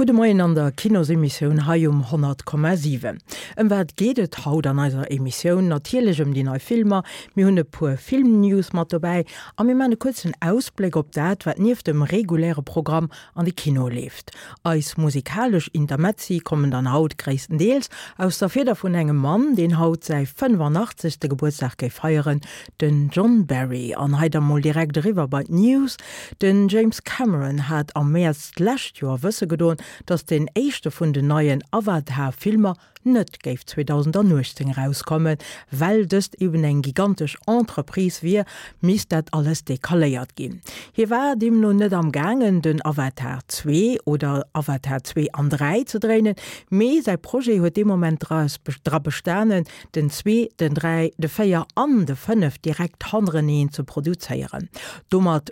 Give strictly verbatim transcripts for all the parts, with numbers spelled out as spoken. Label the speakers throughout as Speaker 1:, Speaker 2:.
Speaker 1: Gudde Moien an der Kinosemissioun hei um honnert Komma siwen. Ëm wat geet et haut an eiser Emissioun? Natierlech ëm déi nei Filmer, mir hunn e puer Filmnews mat dobäi a mir man e kuerzen Ausbléck op dat, wat nieft dem reguläre Programm an de Kino leeft. Eis musikalesch Intermezzi kommen dann haut gréisstendeels aus der Fieder vun engem Mann, deen haut säi fënnefanachtzegschte Gebuertsdag géif feieren, den John Barry. An hei da mol direkt eriwwer bei d'News. Den James Cameron hat am Mäerz d'lescht Joer wësse gedoen, datt deen éischte vun den neien Avatar-Filmer net géif zweedausendanuechtzéng erauskommen. Well dëst eben eng gigantesch Entreprise wier, misst dat alles decaléiert ginn. Hie war deemno net am gaangen, den Avatar zwee oder Avatar zwee an dräi ze dréinen, mee säi Projet huet dee Moment dra bestanen, den zwee, den dräi, de véier an de fënnef direkt hannereneen ze produzéieren. Domat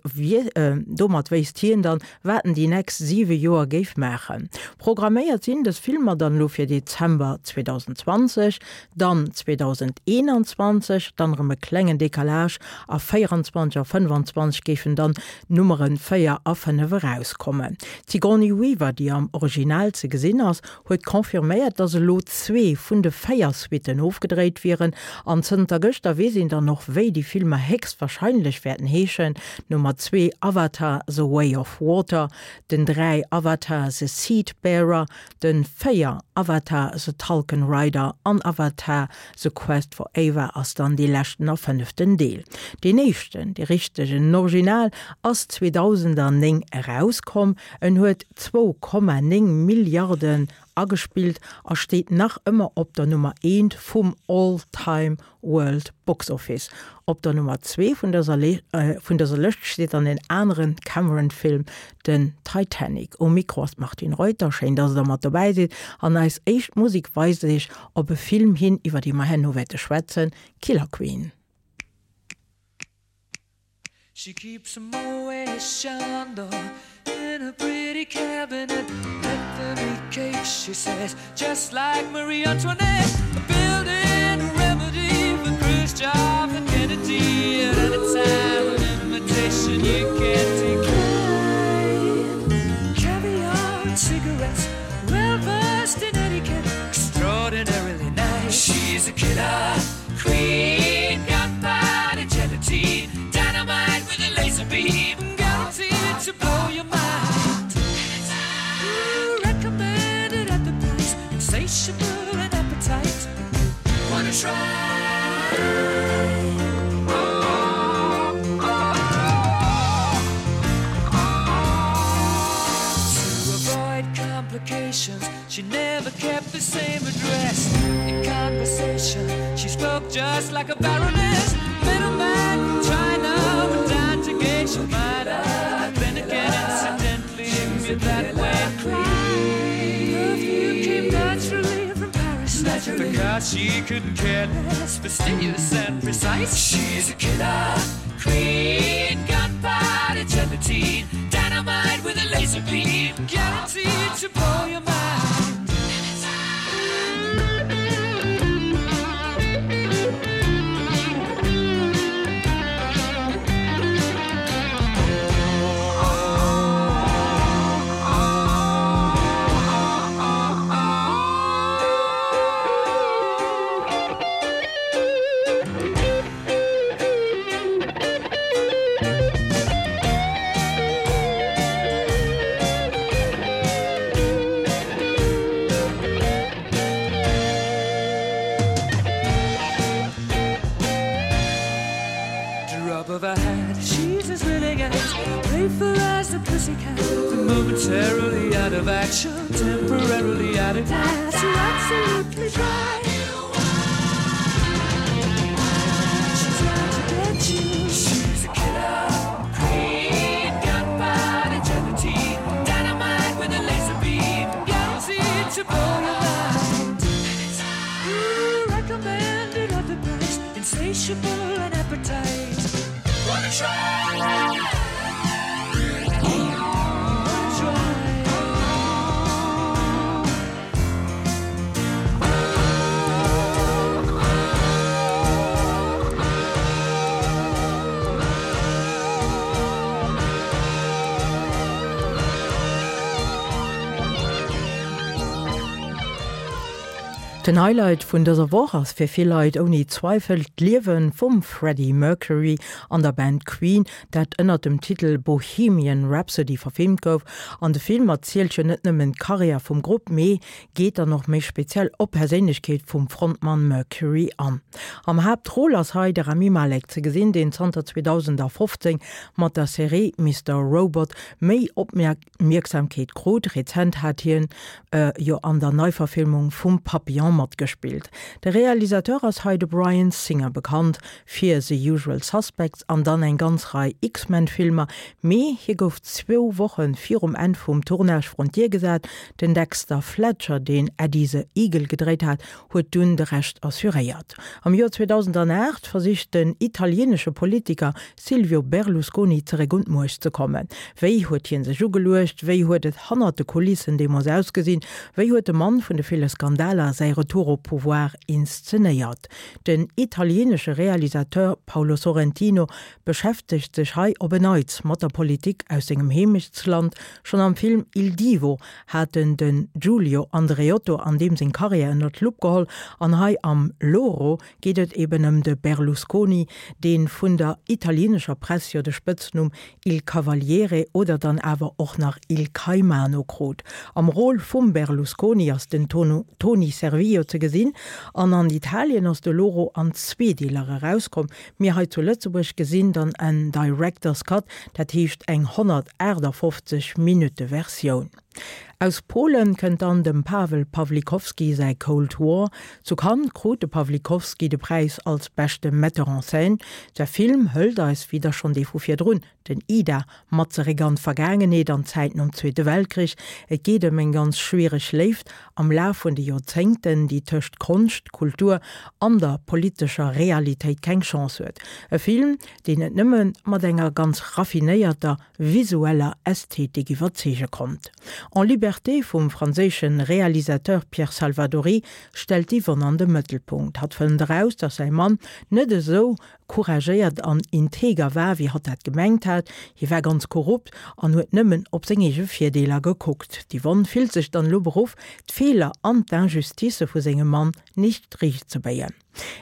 Speaker 1: domat wéisst hien dann, wat en déi nächst siwe Joer géif maachen. Programméiert sinn dës Filmer dann elo fir Dezember zweedausendzwanzeg, dann zweedausendeenanzwanzeg, dann erëm e klengen Décalage a véieranzwanzeg a fënnefanzwanzeg géifen dann d'Nummere véier a fënnef erauskommen. D'Sigourney Weaver, déi am Original ze gesinn ass, huet confirméiert, dass elo zwee vun de véier Suitten ofgedréit wieren an zënter gëschter weess een dann och, wéi déi Filmer héchstwahrscheinlech wäerten heeschen, Nummer zwee Avatar, The Way of Water, den dräi Avatar, The Seed Bearer, den véier Avatar, The Tulkun Rider an Avatar, The Quest for Ava ass dann dee leschten a fënneften Deel. Deen éischten, dee richtegen, Original, ass zweedausendanéng erauskomm. En huet zwou Komma néng Milliarden agespillt a steet nach ëmmer op der Nummer eent vum All-Time World Box Office. Op der Nummer zwee vun dëser vun dëser Lëscht steet dann en aneren Cameron-Film, den Titanic. Um Mikro ass d'Martine Reuter. Schéin, dass der mat dobäi sidd. An eis éischt Musek weist iech op e Film hin, iwwer dee mer herno wäerte schwätzen, Killer Queen.
Speaker 2: She keeps a Moët Chandon in a pretty cabinet. Bethany cake, she says, just like Marie Antoinette. A building a remedy for Khrushchev and Kennedy. At any time, an invitation you can't decline. Caviar and cigarettes, well versed in etiquette, extraordinarily nice. She's a killer queen, gunpowder gelatine, dynamite with a laser beam, guaranteed to blow your mind. Ooh, recommended at the price, insatiable an appetite. Wanna try? To avoid complications, she never kept the same address. In conversation, she spoke just like a baroness. Middleman from China went down to Geisha Minor. Then again, incidentally, if that way Perfume came naturally from Paris, naturally. Because she couldn't care less, fastidious and precise. She's a killer queen, gunpowder gelatine, dynamite with a laser beam, guaranteed to blow your mind. Drop of a hat, she's as willing as playful as a pussycat. Momentarily out of action, temporarily out of gas, you're absolutely dry. She's out to get you. She's a killer queen, gunpowder gelatine, dynamite with a laser beam, guaranteed to blow your mind. Ooh, recommended at the price, insatiable an appetite. Wanna try? Wanna try?
Speaker 1: Den Highlight vun dëser Woch ass fir vill Leit ouni Zweifel d'Liewe vum Freddie Mercury an der Band Queen, dat ënner dem Titel Bohemian Rhapsody verfilmt gouf. An de Film erzielt jo net nëmmen d'Karriär vum Grupp, mee geet dann och méi speziell op d'Perséinlechkeet vum Frontmann Mercury an. Am Haaptrôle ass hei de Rami Malek ze gesinn, deen zanter zweedausendafofzéng mat der Serie Mister Robot méi Opmierksamkeet krut. Rezent hat hien jo an der Neiverfilmung vum Papillon matgespillt. De Realisateur ass hei de Bryan Singer, bekannt fir The Usual Suspects an dann eng ganz Rei X-Men-Filmer, mee hie gouf zwou Woche virum Enn vum Tournage vrun d'Dier gesat. Den Dexter Fletcher, deen Eddie the Eagle gedréit hat, huet dunn de Rescht assuréiert. Am Joer zweedausendaacht versicht den italieenesche Politiker Silvio Berlusconi zeréck un d'Muecht ze kommen. Wéi huet hien sech ugeluecht? Wéi huet et hannert de Kulissen deemools ausgesinn? Wéi huet de Mann vun de ville Skandaler säi Retour au pouvoir inszenéiert? Den italieenesche Realisateur Paolo Sorrentino beschäftegt sech hei op en Neits mat der Politik aus sengem Heemechtsland. Schonn am Film Il Divo hat en den Giulio Andreotto an deem seng Karriär ënner d'Lupp geholl an hei am Loro geet et eben ëm de Berlusconi, dee vun der italieenescher Press jo de Spëtznumm Il Cavaliere oder dann awer och nach Il Caimano krut. Am Rôle vum Berlusconi ass den Toni Servillo ze gesinn an an Italien ass de Loro an zwee Deeler erauskomm. Mir hei zu Lëtzebuerg gesinn dann en Director's Cut, dat heescht eng honnertaachtafoffzeg Minutte Versioun. Aus Polen kënnt dann dem Pawel Pawlikowski säi Cold War. Zu Cannes krut de Pawlikowski de Präis als beschte Metteur en scène. Säi Film hëlt eis, wéi der schonn dee vu virdrun, den Ida, mat zeréck an d'Vergaangenheet, an d'Zäit nom Zweete Weltkrich. Et geet ëm eng ganz schwiereg Léift am Laf vun de Joerzéngten, déi tëscht Konscht, Kultur an der politescher Realitéit keng Chance huet. E Film, deen net nëmme mat enger ganz raffinéierter visueller Ästhetik iwwerzeege konnt. En liberté vum franséische Realisateur Pierre Salvadori stellt d'Yvonne an de Mëttelpunkt. Hatt fënnt eraus, datt säi Mann net esou couragéiert an integer war, wéi hatt dat gemengt hat. Hie war ganz korrupt an huet nëmmen op seng eege Virdeeler gekuckt. D'Yvonne fillt sech dann elo beruff, d'Feeler an d'Injusticë vu sengem Mann nicht riichtzebéien.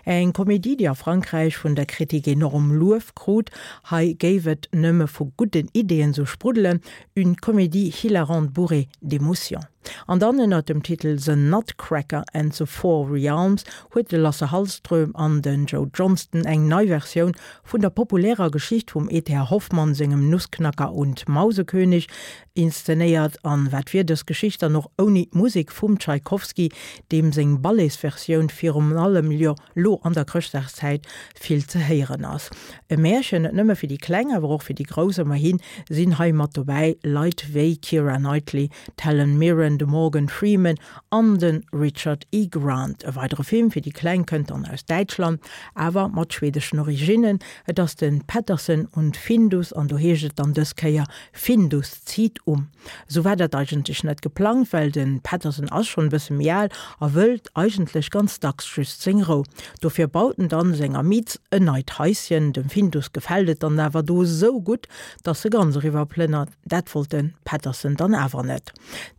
Speaker 1: Eng Komedie, déi a Frankräich vun der Kritik enorm Luef krut, hei géif et nëmme vu gudden Ideeën sou spruddelen, Une comédie hilarante bourrée d'émotions. An dann ënnert dem Titel The Nutcracker and the Four Realms huet de Lasse Hallström an den Joe Johnston eng nei Versioun vun der populärer Geschicht vum E T A Hoffmann sengem Nussknacker und Mausekönig inszenéiert. An wat wier dës Geschicht dann och ouni d'Musek vum Tschaikowski, deem seng Balletsversioun virun allem jo lo an der Chrëschtdagszäit vill ze héieren ass. E Märchen net nëmme fir déi Kleng, awer och fir déi Grouss, ëmmerhi sinn hei mat dobäi Leit wéi Keira Knightley, d'Helen Mirren, de Morgan Freeman an de Richard E. Grant. E weidere Film fir déi Kleng kënnt dann aus Däitschland, awer mat schwedeschen Originnen. Et ass de Pettersson und Findus an do heescht et dann dës Kéier Findus zieht um. Sou war dat eigentlech net geplangt, well de Pettersson ass schonn e bësse méi al a wëllt eigentlech ganz dacks just seng Rou. Dofir baut en dann senger Miz en neit Haischen. Dem Findus gefält et dann awer do sou gutt, dass e ganz eriwwer plënnert. Dat wollt de Pettersson dann awer net.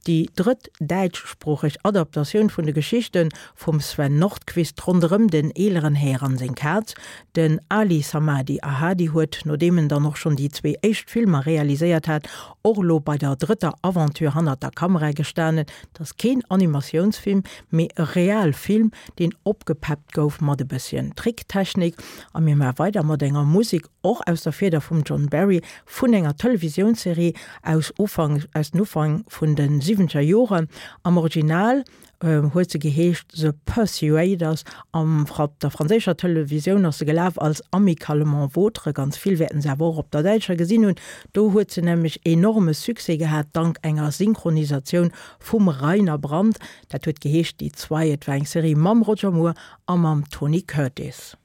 Speaker 1: Déi drëtt däitschsproocheg Adaptatioun vun de Geschichte vum Sven Nordqvist ronderëm den eeleren Här an seng Kaz, den Ali Samadi Ahadi, huet, nodeem en dann och schonn déi zwee éischt Filmer realiséiert hat, och elo bei der drëtter Aventure hannert der Kamera gestanen. Et ass keen Animatiounsfilm, mee e real Film, deen opgepeppt gouf mat e bësschen Tricktechnik. A mir maache weider mat enger Musek, och aus der Fieder vum John Barry, vun enger Televisiounsserie aus Ufank, aus den Ufank vun de siwwenzeger Joren. Am Original huet se geheescht The Persuaders, am op der franséischer Televisioun ass se gelaf als Amicalement Vôtre, ganz vill wäerten se awer och op der däitscher gesinn hunn. Do huet se nämlech enorme Succès gehat dank enger Synchronisatioun vum Rainer Brandt. Dat huet geheescht Die Zwei, et war eng Serie mam Roger Moore a mam Tony Curtis.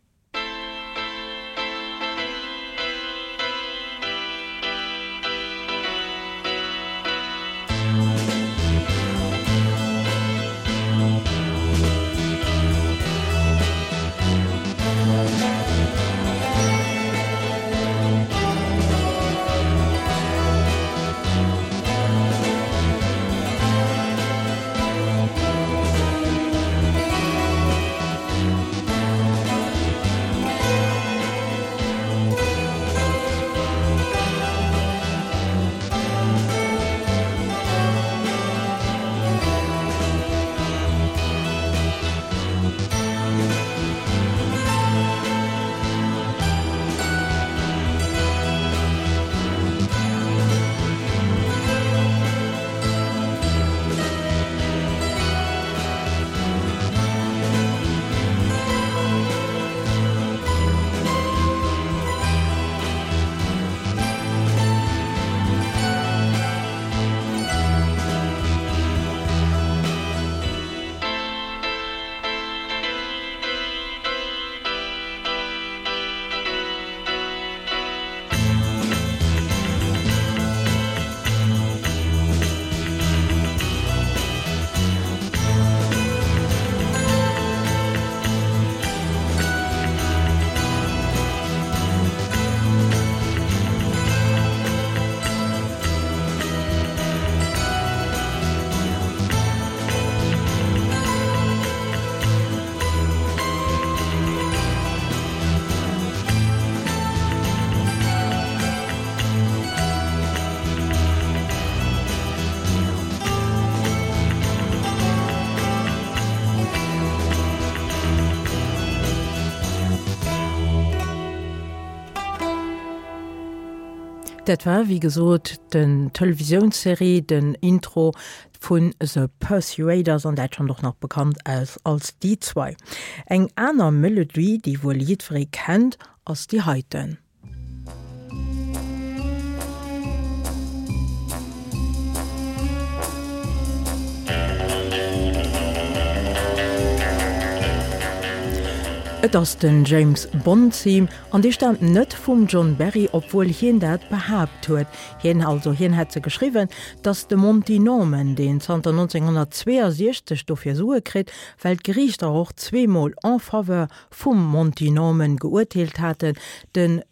Speaker 1: Dat war wéi gesot den Televisiounsserie, den Intro vun The Persuaders an Däitschland och nach bekannt als als Die Zwei. Eng aner Melodie, déi wuel jiddweree kennt, ass déi heiten. Et ass den James Bond Theme an dee staamt net vum John Barry, obwuel hien dat behaapt huet. Hien also hien hätt se geschriwwen, dass de Monty Norman, deen zanter nonzénghonnertzweeënsiechzeg dofir Sue kritt, well d'Geriichter och zweemol en faveur vum Monty Norman geurteelt haten, den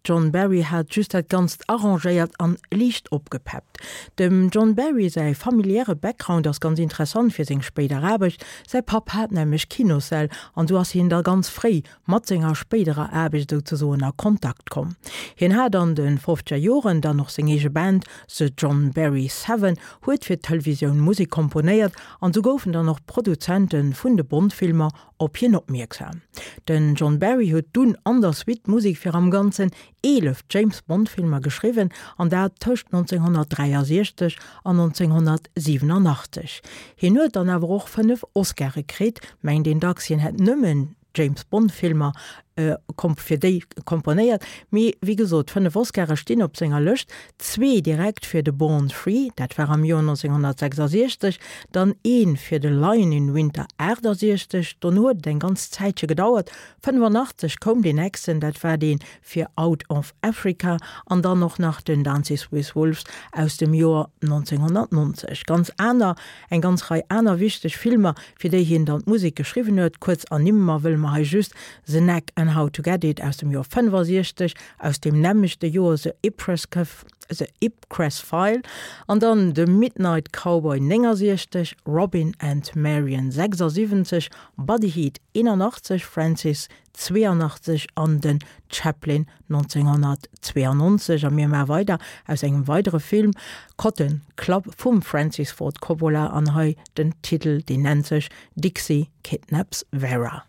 Speaker 1: John Barry hat just dat Ganzt arrangéiert an liicht opgepeppt. Dem John Barry säi familiäre Background ass ganz interessant fir seng spéider Aarbecht, säi Papp hat nämlech Kinossäll an sou ass hien da ganz fréi mat senger spéiderer Aarbecht souzesoen a Kontakt komm. Hien hat an de fofzeger Joren dann och seng eege Band, The John Barry Seven, huet fir d'Televisioun Musek komponéiert an sou goufen dann och d'Produzente vun de Bond-Filmer op hien opmierksam. Den John Barry huet dunn an der Suite d'Musek fir am Ganzen eelef James Bond Filmer geschriwwen, an dat tëscht nonzénghonnertdräiasiechzeg an nonzénghonnertsiwenunachtzeg. Hien huet dann awer och fënnef Oscare kritt, mengt een dacks hien hätt nëmmen James Bond Filmer fir déi komponéiert, mee wéi gesot, fënnef Oscare stinn op senger Lëscht, zwee direkt fir de Born Free, dat war am Joer nonzénghonnertsechsasiechzeg, dann ee fir de Lion in Winter aachtasechzeg, dono huet et eng ganz Zäitche gedauert, fënnefannachtzeg koum deen nächsten, dat war dee fir Out of Africa an dann och nach den Dances with Wolves aus dem Joer nonzénghonnertnonzeg. Ganz aner, eng ganz Rei aner wichteg Filmer, fir déi hien dann d'Musek geschriwwen huet, kuerz ernimme mer wëlle mer hei just The Knack and How to Get It aus dem Joer fënnefasiechzeg, aus deem nämmlechte Joer The The Ipcress File an dann The Midnight Cowboy néngasiechzeg, Robin and Marian sechsasiwwenzeg, Body Heat eenanachtzeg, Francis zweeanachtzeg an den Chaplin nonzénghonnertzweeannonzeg. A mir maache weider aus engem weidere Film, Cotton Club vum Francis Ford Coppola an hei den Titel, deen nennt sech Dixie Kidnaps Vera.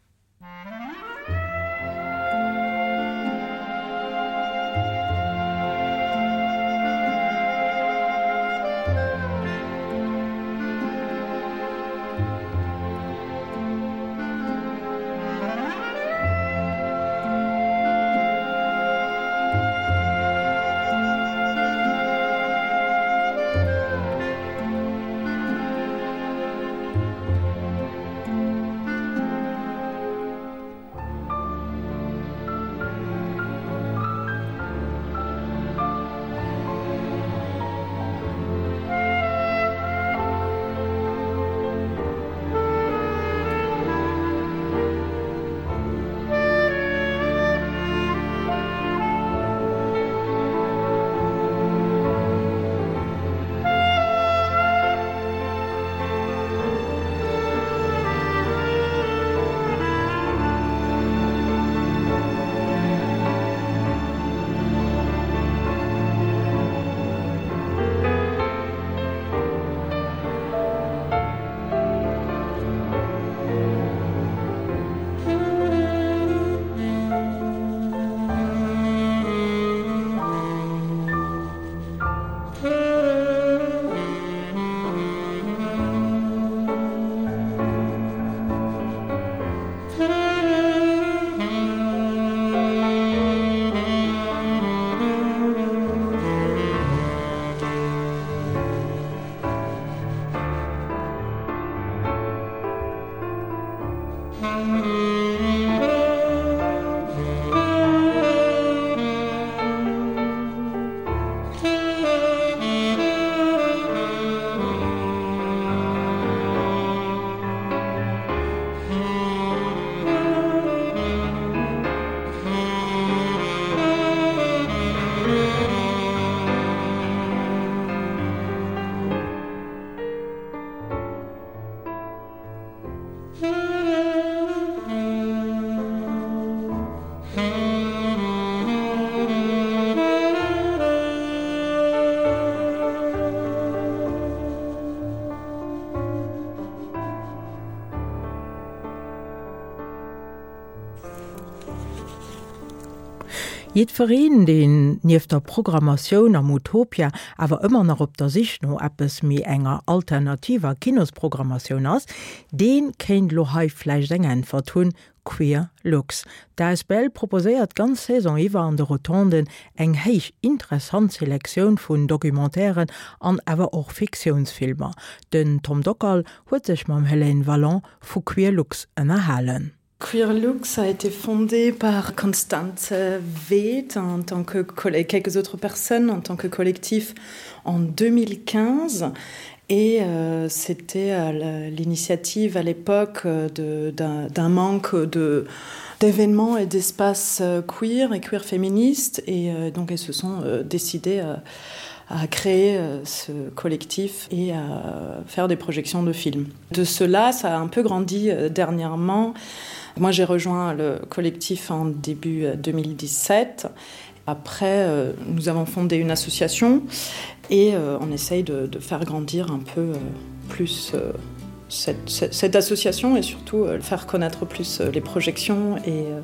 Speaker 1: Jiddwereen, deen nieft der Programmatioun am Utopia awer ëmmer nach op der Sich no eppes méi enger alternativer Kinosprogrammatioun ass, dee kéint lo hei vläicht eng Äntwert hunn, Queer Lux. D'A S B L proposéiert d'ganz Saison iwwer an de Rotonden eng héich interessant Selektioun vun Documentairen an awer och Fiktiounsfilmer. Den Tom Dockal huet sech mam Hélène Wallon vu Queer Lux ënnerhalen.
Speaker 3: Queer Lux a été fondé par Constance Weht en tant que quelques autres personnes en tant que collectif en deux mille quinze et euh, c'était euh, l'initiative à l'époque euh, d'un manque de d'événements et d'espaces euh, queer et queer féministes et euh, donc elles se sont euh, décidées à, à créer euh, ce collectif et à faire des projections de films. De cela, ça a un peu grandi euh, dernièrement. Moi, j'ai rejoint le collectif en début deux mille dix-sept. Après, euh, nous avons fondé une association et euh, on essaye de, de faire grandir un peu euh, plus euh, cette, cette, cette association et surtout euh, faire connaître plus euh, les projections et euh,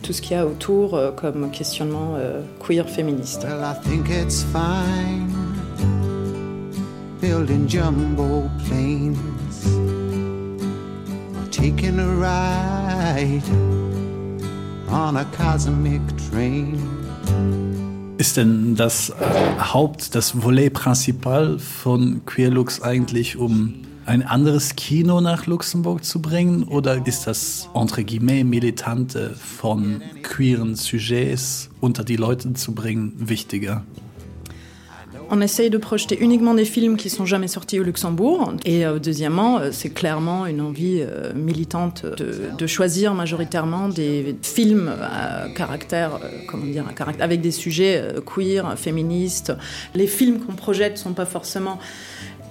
Speaker 3: tout ce qu'il y a autour euh, comme questionnement euh, queer féministe.
Speaker 4: Well, I think it's fine building jumbo planes or taking a ride on a cosmic train.
Speaker 5: Ist denn das äh, Haupt, das Volet principal von Queerlux eigentlich, um ein anderes Kino nach Luxemburg zu bringen, oder ist das entre guillemets Militante von queeren Sujets unter die Leute zu bringen wichtiger?
Speaker 3: On essaye de projeter uniquement des films qui sont jamais sortis au Luxembourg. Et euh, deuxièmement, euh, c'est clairement une envie euh, militante de, de choisir majoritairement des films à caractère, euh, comment dire, à caractère, avec des sujets euh, queer, féministes. Les films qu'on projette sont pas forcément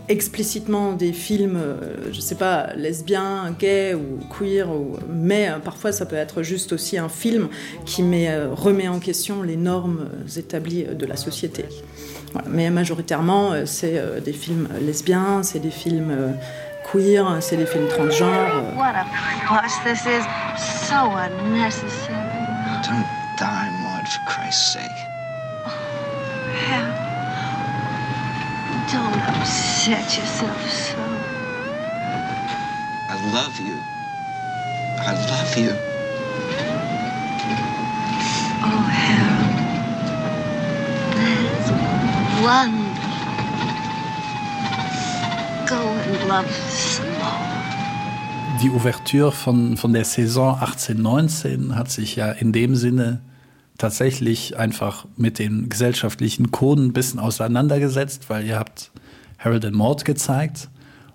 Speaker 3: explicitement des films, euh, je sais pas, lesbiens, gays ou queer, ou, mais euh, parfois ça peut être juste aussi un film qui met, euh, remet en question les normes établies de la société. Voilà. Mais majoritairement, c'est des films lesbiens, c'est des films queer, c'est des films transgenres.
Speaker 6: What a fuss this is. So unnecessary.
Speaker 7: Don't die, Maud, for Christ's sake.
Speaker 6: Oh, Harold. Don't upset yourself so.
Speaker 7: I love you. I love you.
Speaker 6: Oh, Harold. That is wonderful. Go and love some more.
Speaker 5: Die Ouverture von, von der Saison achtzehn neunzehn hat sich ja in dem Sinne tatsächlich einfach mit den gesellschaftlichen Koden ein bisschen auseinandergesetzt, weil ihr habt Harold and Maude gezeigt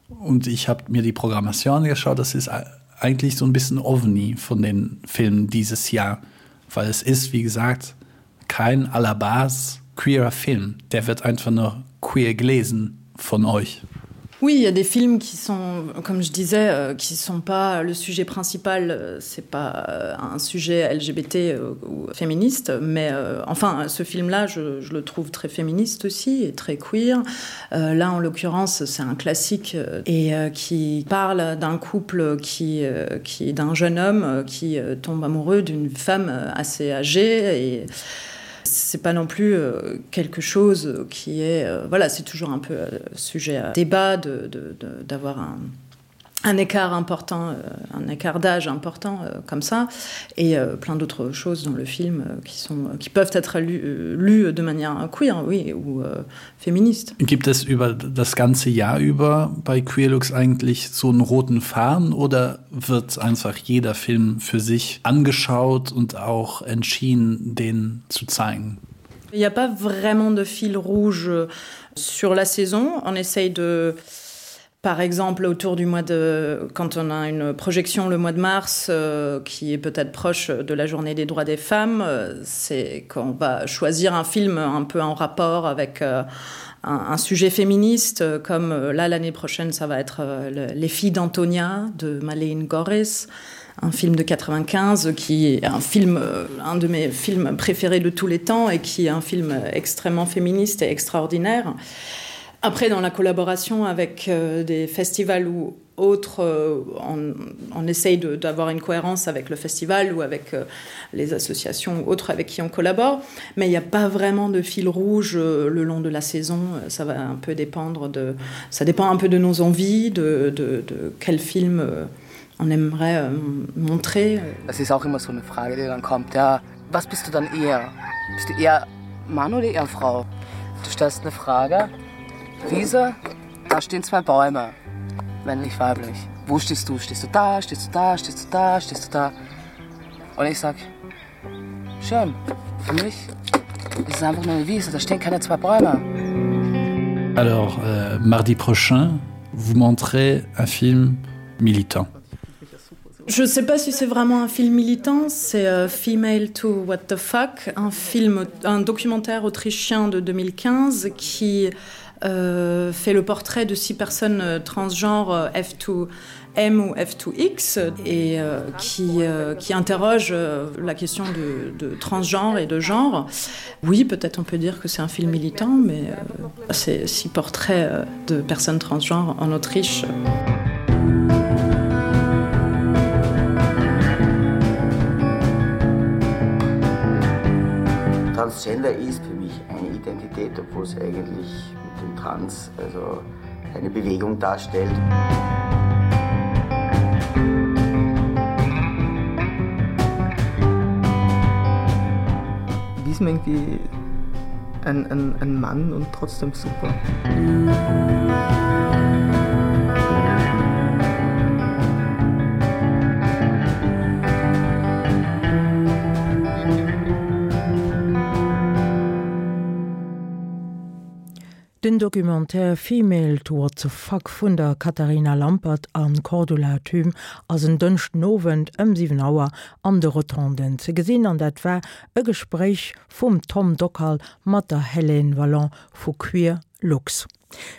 Speaker 5: und ich habe mir die Programmation angeschaut. Das ist eigentlich so ein bisschen ovni von den Filmen dieses Jahr, weil es ist, wie gesagt, kein à la base queerer Film. Der wird einfach nur queer gelesen von euch.
Speaker 3: Oui, il y a des films qui sont, comme je disais, euh, qui sont pas le sujet principal, euh, c'est pas euh, un sujet L G B T euh, ou féministe, mais euh, enfin ce film-là, je, je le trouve très féministe aussi et très queer. Euh, là, en l'occurrence, c'est un classique euh, et euh, qui parle d'un couple qui, euh, qui d'un jeune homme euh, qui euh, tombe amoureux d'une femme euh, assez âgée et c'est pas non plus euh, quelque chose qui est euh, voilà, c'est toujours un peu euh, sujet à débat de, de, de, d'avoir un un écart important, euh, un écart d'âge important euh, comme ça et euh, plein d'autres choses dans le film euh, qui sont qui peuvent être lues, euh, lues de manière queer, oui, ou euh, féministe.
Speaker 5: Gibt es über das ganze Jahr über bei Queerlux eigentlich so einen roten Faden oder wird einfach jeder Film für sich angeschaut und auch entschieden, den zu zeigen?
Speaker 3: Il n'y a pas vraiment de fil rouge sur la saison. On essaye de, par exemple, autour du mois de quand on a une projection le mois de mars euh, qui est peut-être proche de la journée des droits des femmes, euh, c'est qu'on va choisir un film un peu en rapport avec euh, un, un sujet féministe, comme euh, là l'année prochaine ça va être euh, le, les filles d'Antonia de Malene Gørris, un film de quatre-vingt-quinze qui est un film euh, un de mes films préférés de tous les temps et qui est un film extrêmement féministe et extraordinaire. Après, dans la collaboration avec euh, des festivals ou Autre, euh, on, on essaye d'avoir une cohérence avec le festival ou avec euh, les associations ou autres avec qui on collabore, mais il n'y a pas vraiment de fil rouge euh, le long de la saison. Ça va un peu dépendre de, ça dépend un peu de nos envies, de, de, de quel film euh, on aimerait euh, montrer.
Speaker 7: Das ist auch immer so eine Frage, die dann kommt. Ja, was bist du dann eher? Bist du eher Mann oder eher Frau? Du stellst eine Frage. Wiese, da stehen zwei Bäume. Männlich, weiblich. Wo stehst du? Stehst du da? Stehst du da? Stehst du da? Stehst du da? Und ich sag, schön. Für mich ist es einfach nur eine Wiese, da stehen keine zwei Bäume.
Speaker 5: Alors, euh, mardi prochain, vous montrez un film militant.
Speaker 3: Je sais pas si c'est vraiment un film militant, c'est euh, Female to What the Fuck, un film, un documentaire autrichien de deux mille quinze qui euh, fait le portrait de six personnes euh, transgenres, euh, F deux M ou F deux X et euh, qui, euh, qui interroge, euh, la question de, de transgenre et de genre. Oui, peut-être on peut dire que c'est un film militant, mais, euh, c'est six portraits, euh, de personnes transgenres en Autriche.
Speaker 8: Transgender ist für mich eine Identität, obwohl es eigentlich mit dem Trans, also eine Bewegung darstellt.
Speaker 9: Wie ist man irgendwie ein, ein, ein Mann und trotzdem super?
Speaker 1: Den Documentaire Female to What the Fuck vun der Katharina Lampert an Cordula Thüm ass en Dënschden Owend ëm siwen Auer an de Rotonden ze gesinn, an dat war e Gespréich vum Tom Dockal mat der Hélène Vallon vu Queer Lux.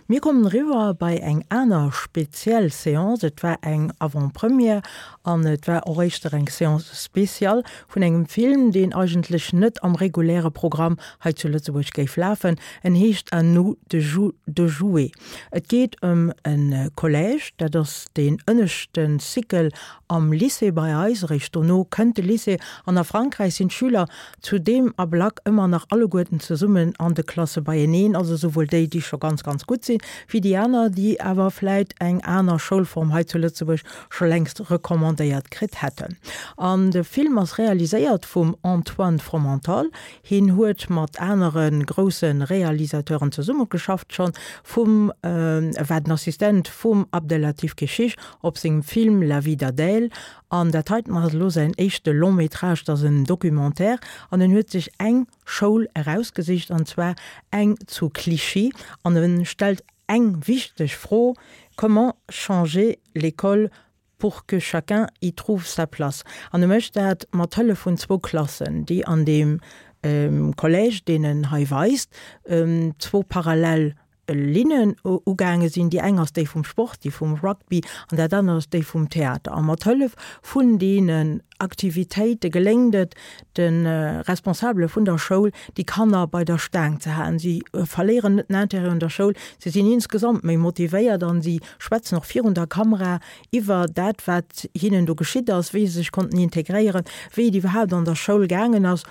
Speaker 1: Mir kommen riwwer bei eng aner speziell Seance, et war eng Avant-Première an et war och éischter eng Seance spéciale vun engem Film, deen eigentlech net am reguläre Programm hei zu Lëtzebuerg géif lafen. En heescht À nous de jou-, de jouer. Et geet ëm en Collège, dat ass den ënneschten Cycle am Lycée bei eis, eréischt dono kënnt de Lycée, an a Frankräich sinn d'Schüler zu deem Ablack ëmmer nach alleguerten zesummen an de Klasse beieneen, also souwuel déi, déi scho ganz, ganz gutt sinn, wéi déi aner, déi awer vläit eng aner Schoulform hei zu Lëtzebuerg scho längst recommandéiert kritt hätten. An de Film ass realiséiert vum Antoine Fromental. Hien huet mat anere grousse Realisateuren zesummegeschafft schon, vum, äh, war den Assistent vum Abdellatif Kechiche op sengem Film La vie d'Adèle. An dat heiten ass elo säin éischte Long-métrage, dat ass en Documentaire, an en huet sech eng Schoul erausgesicht, an zwar eng zu Clichy, an en stellt eng wichteg Fro: Comment changer l'école pour que chacun y trouve sa place? An e mécht dat mat Hëllef vun zwou Klassen, déi an dem, ähm, Collège, deen en hei weist, ähm, zwou parallel Linnen u-, ugaange sinn. Déi eng ass déi vum Sport, déi vum Rugby, an dat aner ass déi vum Theater. A mat Hëllef vun deenen Aktivitéite geléngt et den, äh, Responsabele vun der Schoul, déi Kanner bei der Staang ze halen. Si, äh, verléieren net den Intérêt un der Schoul, si sinn insgesamt méi motivéiert an si schwätzen och virun der Kamera iwwer dat, wat hinnen do geschitt ass, wéi se sech konnten integréieren, wéi et iwwerhaapt an der Schoul gaangen ass.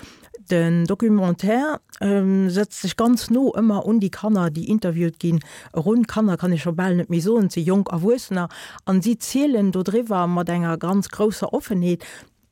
Speaker 1: Den Documentaire, ähm, setzt sech ganz no ëmmer un déi Kanner, déi interviewt ginn. Erun Kanner kann ech scho bal net méi soen, si jonk Erwuessener, an si zielen do driwwer mat enger ganz grousser Offenheet.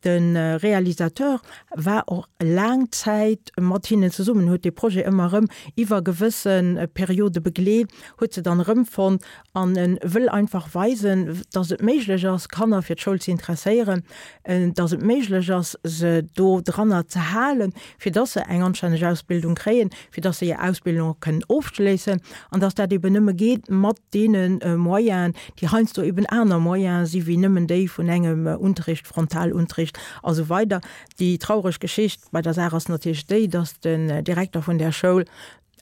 Speaker 1: Den, äh, Realisateur war och laang Zäit mat hinnen zesummen, huet de Projet ëmmer erëm iwwer gewëssen, äh, Periode begleet, huet se dann erëmfonnt an en wëll einfach weisen, dass et méiglech ass, Kanner fir d'Schoul ze interesséieren, äh, dass et méiglech ass, se do dranner ze halen, fir dass se eng anstänneg Ausbildung kréien, fir dass se hir Ausbildung och kënnen ofschléissen, an dass dat eben nëmme geet mat deenen, äh, Moyenen, déi heiansdo eben aner Moyene si wéi nëmmen déi vun engem, äh, Unterricht, Frontalunterricht a sou weider. Déi traureg Geschicht bei der Saach ass natierlech déi, dass den Direkter vun der Schoul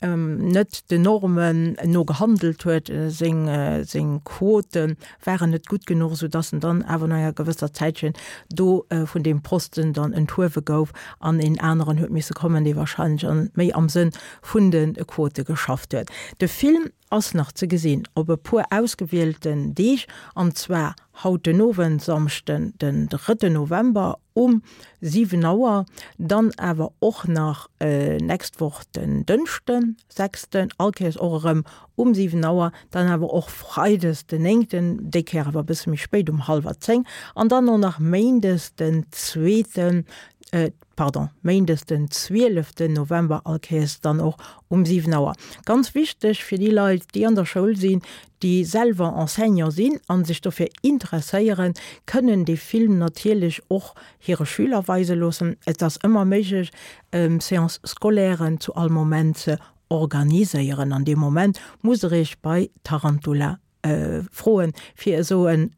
Speaker 1: net den Normen no gehandelt huet, seng seng Quote waren net gutt genuch, sou dass en dann awer no enger gewësser Zäitchen do vun deem Posten dann enthuewe gouf an een aneren huet misse kommen, dee wahrscheinlech an méi am Sënn vun de Quote geschafft huet. De Film ass nach ze gesinn op e puer ausgewielten Deeg, an zwar haut den Owend, Samschden den drëtten November um siwen Auer, dann awer och nach nächst Woch den Dënschden, sechsten, all Kéiers och erëm um siwen Auer, dann awer och Freides den néngten, déi Kéier awer e bësse méi spéit um hallwer zéng, an dann och nach Méindes den zweeten, pardon, Méindes den zwieleften November, all Kéiers dann och um siwen Auer. Ganz wichteg fir déi Leit, déi an der Schoul sinn, déi selwer Enseignant sinn a sech dofir interesséieren, kënnen dee Film natierlech och hire Schüler weise loossen. Et ass ëmmer méiglech, Séances scolairen zu all Moment ze organiséieren. An deem Moment musst Der Iech bei Tarantula froen, fir esou en,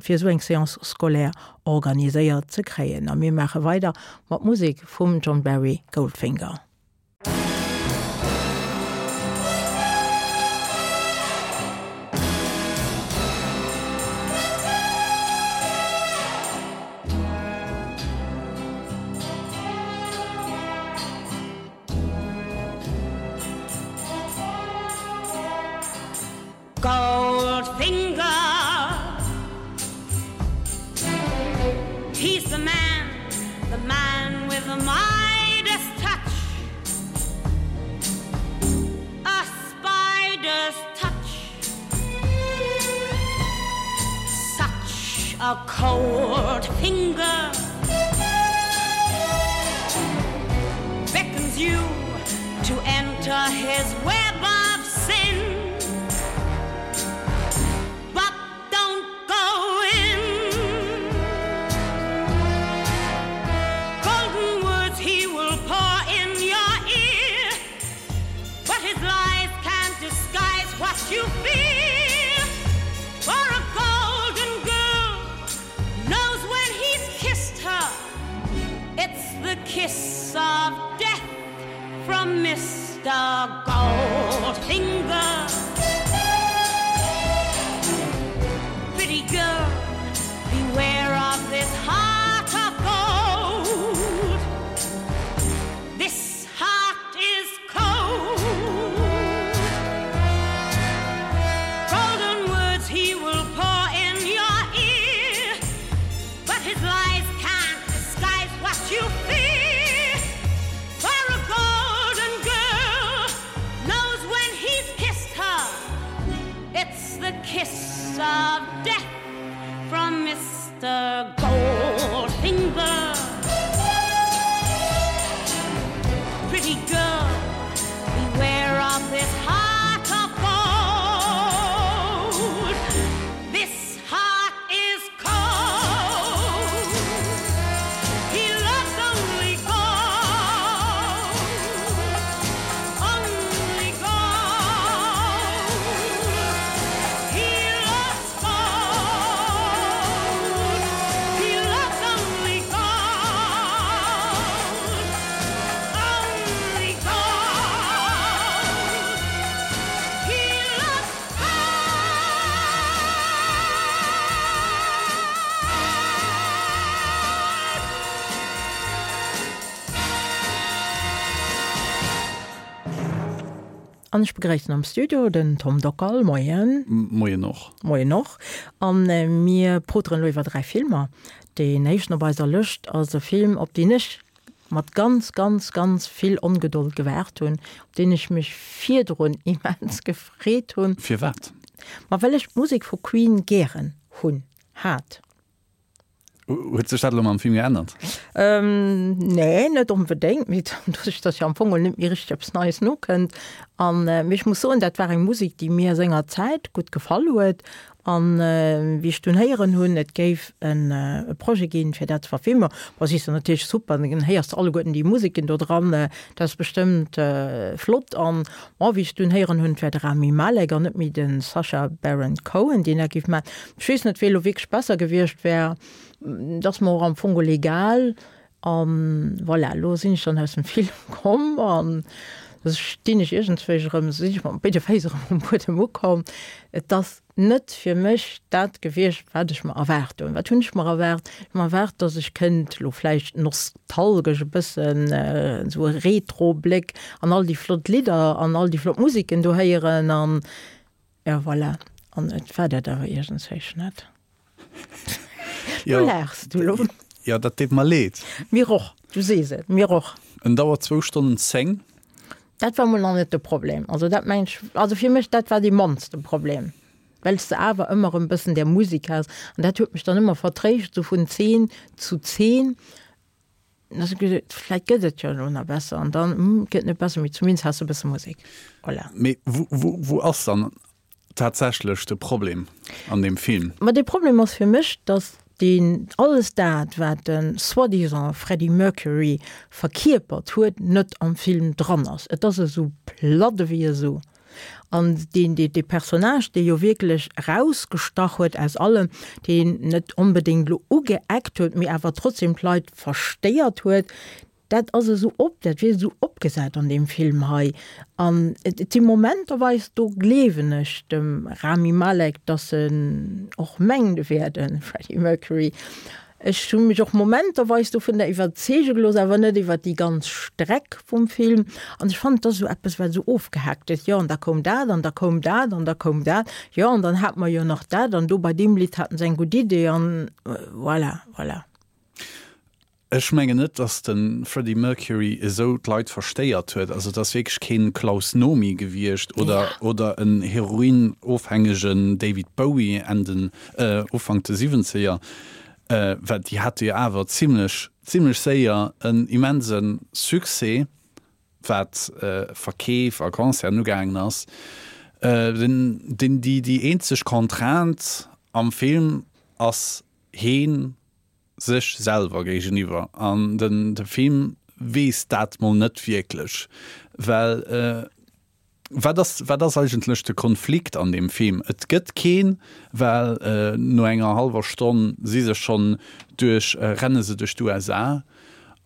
Speaker 1: fir esou eng Séance scolaire organiséiert ze kréien. A mir maache weider mat Musek vum John Barry, Goldfinger.
Speaker 10: Goldfinger He's the man, the man with the Midas touch A spider's touch Such a cold finger Beckons you to enter his web of sin But don't go in Golden words he will pour in your ear But his lies can't disguise what you fear For a golden girl knows when he's kissed her It's the kiss of death from Mr. Goldfinger Pretty girl, beware of this heart of gold This heart is cold Golden words he will pour in your ear But his lies can't disguise what you fear For a golden girl knows when he's kissed her It's the kiss of death from Mr. Goldfinger Pretty girl, beware of this heart of gold This heart is cold He loves only gold Only gold He loves gold He loves only gold Only gold He loves
Speaker 1: An ech begréissen am Studio den Tom Dockal. Moien.
Speaker 5: Moien och.
Speaker 1: Moien och. A mir poteren elo iwwer dräi Filmer. Deen éischten op eiser Lëscht ass e Film, op deen ech mat ganz, ganz, ganz vill Ongedold gewaart hunn, op deen ech mech virdrun immens gefreet hunn.
Speaker 5: Firwat?
Speaker 1: Ma well ech d'Musek vu Queen gären hunn, hat.
Speaker 5: Huet sech dat elo mam Film geännert?
Speaker 1: Ähm, nee, net onbedéngt, mee doduerch, dass jo am Fong net méi richteg eppes Neies nokënnt. An, mee ech muss soen, dat war eng Musek, déi mir senger Zäit gutt gefall huet. An wéi ech dunn héieren hunn, et géif en e Projet ginn, fir dat ze verfilmen, bon, si se natierlech super, dann héiers de alleguerten déi Museken do dran, dat ass bestëmmt flott. An, bon, wéi ech dunn héieren hunn, et wär de Rami Malek an net méi de Sacha Baron Cohen, deen dat géif maachen, ech weess net, wéi elo wierklech besser gewiescht wär. Dat ass mer och am Fong geholl egal. An voilà, elo sinn ech dann aus dem Film komm an Da stinn ech iergendswéi erëm, sinn ech mat béide Féiss erëm um Buedem ukomm. Et ass net fir mech dat gewiescht, wat ech mer erwaart hunn. Wat hunn ech mer erwaart? Ech hu mer erwaart, dass ech kënnt elo vläicht nostalgesch e bëssen esou e Retro-Bléck an all déi flott Lidder an all déi flott Musiken do héieren an jo, voilà. An et war dat awer iergendswéi net. Du laachs du elo.
Speaker 5: Jo, dat deet mer leed.
Speaker 1: Mir och, du sees et, mir och.
Speaker 5: En dauert zwou Stonnen zéng.
Speaker 1: Dat war mol nach net de Problem. Also dat mengen ech, also fir mech, dat war dee mannste Problem, well s de awer ëmmer erëm bëssen där Musek has an dat huet mech dann ëmmer vertréischt, esou vun Zeen zu Zeen. Da hu ech gesot, vläit gëtt et jo elo nach besser an dann, hm, gëtt net besser, mee zumindest has de e bësse Musek. Voilà.
Speaker 5: Mee wou, wou, wou ass dann tatsächlech de Problem an deem Film?
Speaker 1: Ma de Problem ass fir mech, datt deen alles dat, wat de soi-disant Freddie Mercury verkierpert huet, net am Film dran ass. Et ass esou platt ewéi esou. An deen, dee, dee Personnage, dee jo wierklech erausgestach huet aus allem, deen net onbedéngt elo ugeeckt huet, mee awer trotzdem d'Leit verstéiert huet, Dat ass esou op, dat wier esou opgesat an deem Film hei. An et si Momenterweis, do gleewen ech dem Rami Malek, dass en och mengt, e wär de Freddie Mercury. Ech hu mech och momenterweis dovunner iwwerzeege gelooss, awer net iwwer déi ganz Streck vum Film. An ech fannen, et ass esou eppes, wat esou ofgehaakt gëtt, jo an da koum dat an da koum dat an da koum dat, jo an dann hate mer jo nach dat an do bei deem Lidd haten se eng gutt Idee an voilà, voilà.
Speaker 5: Ech mengen net, dass de Freddie Mercury esou d'Leit verstéiert huet. Also et ass wierklech keen Klaus Nomi gewiescht oder oder en heroinofhängegen David Bowie Enn den Ufank de Siwwenzeger, well déi hate jo awer zimlech zimlech séier en immense Succès, wat Verkeef a Concerten ugaangen ass. Den den déi déi eenzeg Contrainte am Film ass heen sech selwer géigeniwwer an den de Film weess dat mol net wierklech, well wat ass wat ass eigentlech de Konflikt an deem Film? Et gëtt keen, well no enger hallwer Stonn si se schonn duerch renne se duerch d'U S A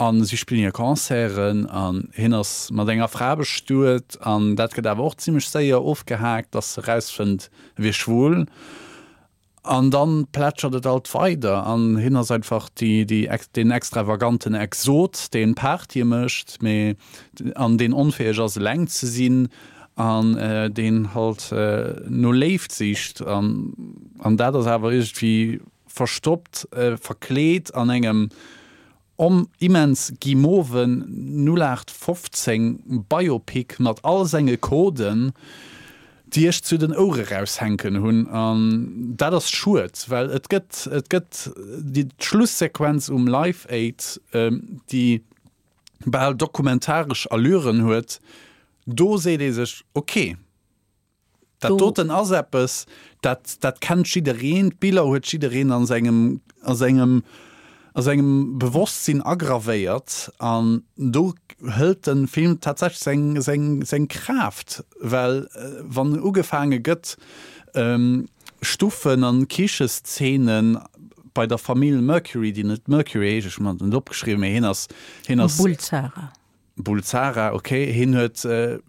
Speaker 5: an si spillen hir Concerten an hien ass mat enger Fra bestuet an dat gëtt awer och zimmlech séier ofgehaakt, dass se erausfënnt e wier schwul. An dann plätschert et alt weider an hien ass einfach déi, déi, deen extravaganten Exot, deen Partye mécht, mee an deen onfäeg ass eleng ze sinn an deen halt no Léift sicht an, an dat ass awer iergendwéi verstoppt, verkleet an engem Om immens guimauven null aacht fofzéng Biopic mat all senge Coden, déi ech zu den Ouere raushänken hunn. An dat ass schued, well et gëtt, et gëtt déi Schlussequenz um Live Aid, déi bal dokumentaresch Allüren huet, do seet ee sech, ok, Dat doten ass eppes, dat, dat kennt jiddereen, d'Biller huet jiddereen a sengem, a sengem, a sengem Bewosstsinn agravéiert an do hëlt de Film tatsächlech seng, seng, seng Kraaft, well wann ugefaange gëtt, Stuffen an Kicheszenen bei der Famill Mercury, déi net Mercury heescht, ech hunn mer dat net opgeschriwwen, mee hien ass, hien ass.
Speaker 1: Bulsara.
Speaker 5: Bulsara, ok. Hien huet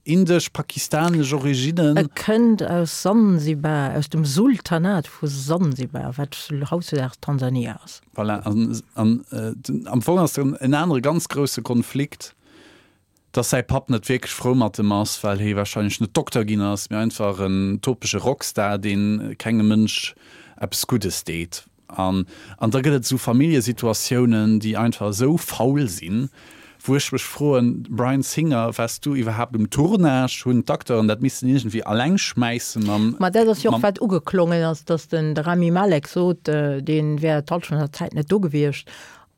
Speaker 5: indesch, pakistanesch Originnen.
Speaker 1: E kënnt aus Sansibar, aus dem Sultanat vu Sansibar, wat hautdesdaags Tansania ass.
Speaker 5: Voilà, an, an am Fong ass en anere ganz grousse Konflikt, dass säi Papp net wierklech frou mat em ass, well hie warscheinlech net Dokter ginn ass, mee einfach en topege Rockstar, dee kengem Mënsch eppes Guddes deet. An, an da gëtt et esou Familljesituatiounen, déi einfach esou faul sinn, wou ech mech froen, Bryan Singer, waars du iwwerhaapt um Tournage? Hunn d'Acteuren dat missen iergendwéi alleng schmäisse mam.
Speaker 1: Ma dat ass jo och, wat ugeklongen ass, datt den de Rami Malek sot, dee wär d'Hallschent vun der Zäit net do gewiescht.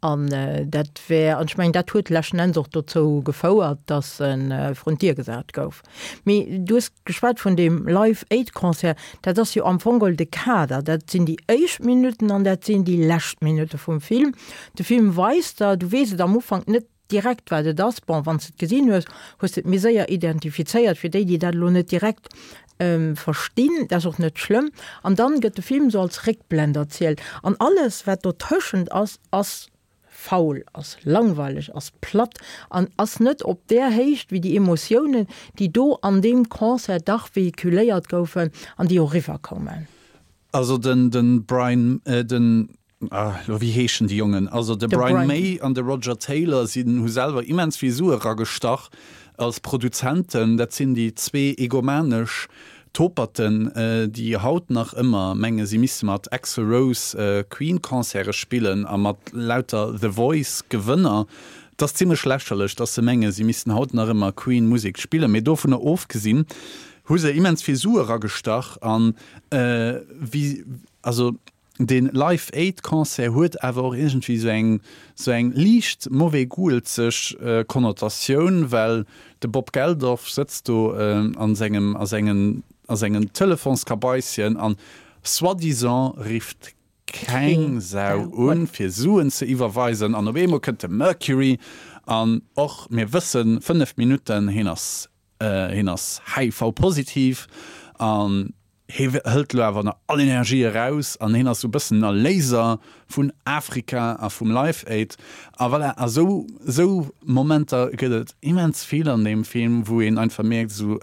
Speaker 1: An dat wär, an ech mengen, dat huet leschten Enns och dozou gefouert, datt e vrun d'Dier gesat gouf. Mee du hues geschwat vun deem Live Aid Concert, dat ass jo am Fong geholl de Kader, dat sinn déi éischt Minutten an dat sinn déi lescht Minutte vum Film. De Film weist der, du weess et am Ufank net direkt wat et ass, bon, wann s de et gesinn hues, hues de et méi séier identifizéiert, fir déi, déi dat elo net direkt verstinn, dat ass och net schlëmm. An dann gëtt de Film esou als Réckblend erzielt an alles wat dotëschent ass, ass faul, ass langweileg, ass platt an ass net op där Héicht wéi déi Emotiounen, déi do an deem Concert dach vehiculéiert goufen an déi och eriwwerkoumen.
Speaker 5: Also den den Brian, den, ah elo wéi heeschen déi Jongen, also de Brian May an de Roger Taylor sinn, hu selwer immens vill Sue ragestach als Produzenten. Dat sinn déi zwee egomanesch Toperten, déi haut nach ëmmer menge si misste mat Axl Rose Queen-Concerte spillen a mat lauter The Voice-Gewënner. Et ass zimlech lächerlech, dass se menge si missten haut nach ëmmer Queen-Musek spillen. Mee dovunner ofgesinn hu se immens vill Sue ragestach an wéi, also dee Live Aid Concert huet awer och iergendwéi sou eng sou eng liicht mauvais-goût-zeg Konnotatioun, well de Bob Geldof sëtzt do an sengem a sengen a sengen Telefonskabaisschen an soi-disant rifft keng Sau un fir Suen ze iwwerweisen an op eemol kënnt de Mercury an och mir wëssen, fënnef Minutten, hien ass hien ass H I V-positiv an hie hëlt elo awer nach all Energie eraus an hien ass sou e bëssen den Erléiser vun Afrika a vum Live Aid. A voilà, a sou, sou Momenter gëtt et immens vill an deem Film, wou een einfach mierkt, esou,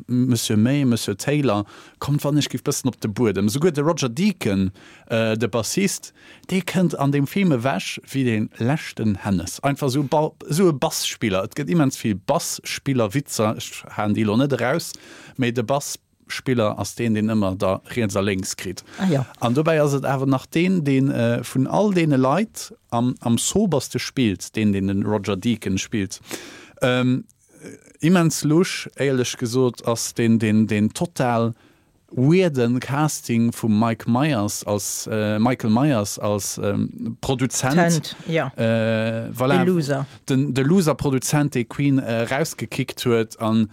Speaker 5: Monsieur May, Monsieur Taylor, kommt wann ech giff bëssen op de Buedem. Souguer de Roger Deacon, de Bassist, dee kënnt an deem Film ewech wéi dee leschten Hennes. Einfach sou e Bass-Spiller. Et gëtt immens vill Bass-Spiller-Witzer, ech haen déi elo net eraus, mee de Bass. Spiller ass deen, deen ëmmer da riets a lénks kritt.
Speaker 1: Ah, jo.
Speaker 5: An dobäi ass et awer nach deen, dee vun all deene Leit am, am soberste spillt, deen, deen de Roger Deacon spillt. Immens lusch, éierlech gesot, ass deen, deen, deen total weirden Casting vum Mike Myers als, Michael Myers als Produzent.
Speaker 1: Tent, jo.
Speaker 5: Voilà.
Speaker 1: De Loser.
Speaker 5: Den, de Loser-Produzent, dee Queen erausgekickt huet an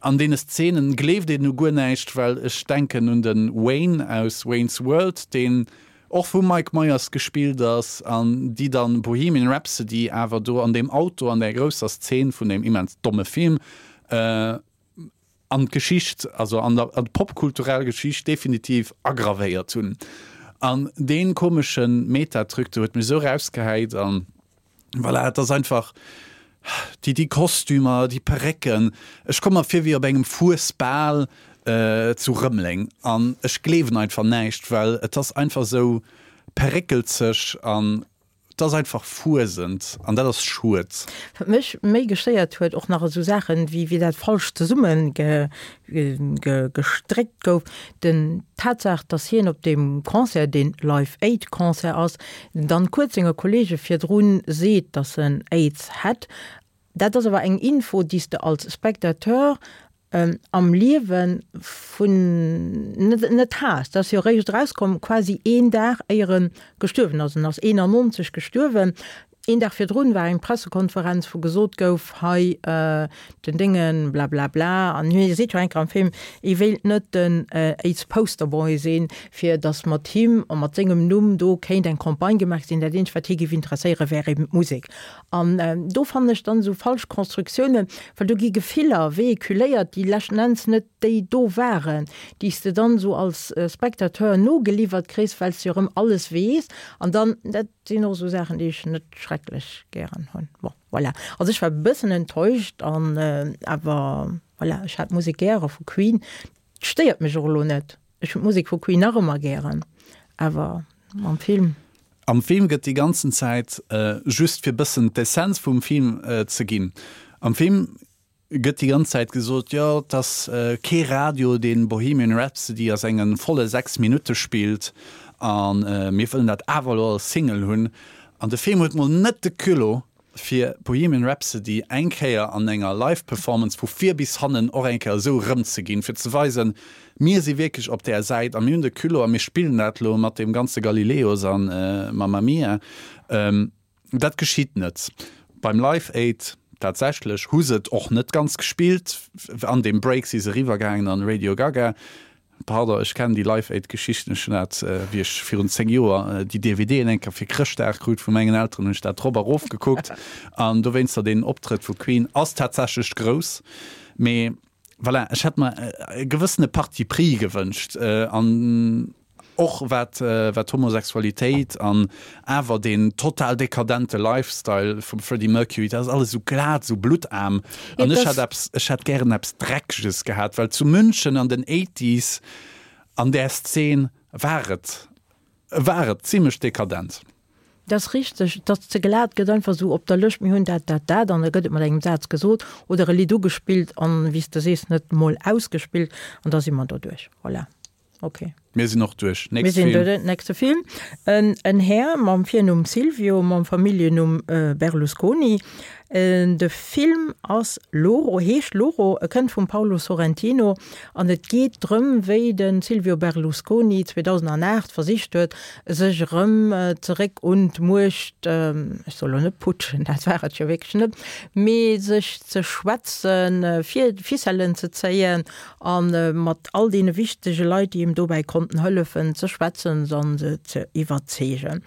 Speaker 5: An deene Szenen gleeft een u guer näischt, well ech denken un de Wayne aus Wayne's World, deen och vum Mike Myers gespillt ass, an déi dann Bohemian Rhapsody awer do an deem Auto an där grousser Szene vun deem immens domme Film an d'Geschicht, also an der an d'popkulturell Geschicht definitiv aggravéiert hunn. An dee komesche Meta-Truc do huet mech esou rausgehäit an voilà, et ass einfach. Déi, déi Kostümer, déi Perécken, ech komme mer vir wéi op engem Fuesbal zu Rëmeleng an ech gleewen einfach näischt, well et ass einfach esou peréckelzeg an et ass einfach fuesend an dat ass schued.
Speaker 1: Wat mech méi gestéiert huet, och nach esou Saachen, wéi wéi dat falsch zesumme ge, ge, gestréckt gouf, den d'Tatsaach, dass hien op deem Concert, deen Live Aid Concert ass, dann kuerz senge Kollege virdrun seet, dass en Aids hätt, dat ass awer eng Info, déi s de als Spectateur am Liewe vun net net has. Dat ass jo eréischt erauskomm quasi een Dag éier en gestuerwen ass. En ass eenannonzeg gestuerwen. Een Dag virdrun war eng Pressekonferenz, wou gesot gouf, hei den Déngen blablabla, an hie seet jo eng Kéier am Film, hie wéilt net den Aids-Posterboy sinn, fir datt mat him a mat sengem Numm do kéint eng Campagne gemaach sinn. Dat eenzegt, wat hie géif interesséieren, wär eben d'Musek. An do fannen ech dann esou falsch Konstruktiounen, well do gi Gefiller véhiculéiert, déi leschten Enns net déi do waren, déi s de dann esou als Spectateur nogeliwwert kriss, well s de jo erëm alles weess. An dann, dat sinn och esou Saachen, déi ech net schrecklech gären hunn. Bon, voilà. Also ech war e bëssen enttäuscht an awer voilà, ech hat d'Musek gäre vu Queen. Et stéiert mech och elo net. Ech hunn d'Musek vu Queen nach ëmmer gären, awer mam Film.
Speaker 5: Am Film gëtt déi ganzen Zäit, just fir bëssen d'Essenz vum Film ze ginn, am Film gëtt déi ganz Zäit gesot, jo, et ass kee Radio, deen Bohemian Rhapsody a senge volle sechs Minutte spillt a mir wëllen dat awer elo als Single hunn. An de Film huet mol net de Culot, fir Bohemian Rhapsody eng Kéier an enger Live-Performance vu vir bis hannen och eng Kéier esou erëmzeginn, fir ze weisen, mir si wierklech op där Säit a mir hunn de Culot a mir spillen dat elo mat deem ganze Galileos a Mamma Mia. Dat geschitt net beim Live Aid. Tatsächlech hu se et och net ganz gespillt. An deem Break si se eriwwer gaangen an Radio Gaga. Pardon, ech kennen déi Live Aid Geschichten. Ech hunn dat, wéi ech virun zéng Joer déi D V Dën eng Kéier fir Chrëschtdag krut vu mengen Elteren, hunn ech dat drop erof gekuckt. An dowéinster, deen Optrëtt vu Queen ass tatsächlech grouss. Mee voilà, ech hätt mer e gewëssene Parti pris gewënscht. An Och wat wat Homosexualitéit an awer deen total dekadente Lifestyle vum Freddie Mercury, dat ass alles esou glat, esou bluttarm. An ech hätt eppes, ech hätt gären eppes Dreckeges gehat, well zu München an den Eighties an där Szen war et, war et zimlech dekadent.
Speaker 1: Dat ass richteg, et ass ze glat, gëtt einfach esou op der Lëscht, mir hunn dat, dat, dat, an da gëtt et mat engem Saz gesot oder e Lidd ugespillt an, wéi s de sees, net mol ausgespillt an da si mer doduerch. Voilà. Ok.
Speaker 5: Mir sinn och duerch.
Speaker 1: Mir sinn duerch. Nächste Film. En, en Här mam Virnumm Silvio, mam Familljennumm Berlusconi. De Film ass Loro, heescht Loro, e kënnt vum Paolo Sorrentino an et geet drëm, wéi de Silvio Berlusconi zweedausendanaacht versicht huet, sech erëm zeréck un d'Muecht, ech soll elo net putschen, dat war et jo wierklech net, mee sech ze schwätzen, fir Ficellen ze zéien a mat all deene wichtege Leit, déi him dobäi konnten hëllefen, ze schwätzen an se ze iwwerzeegen.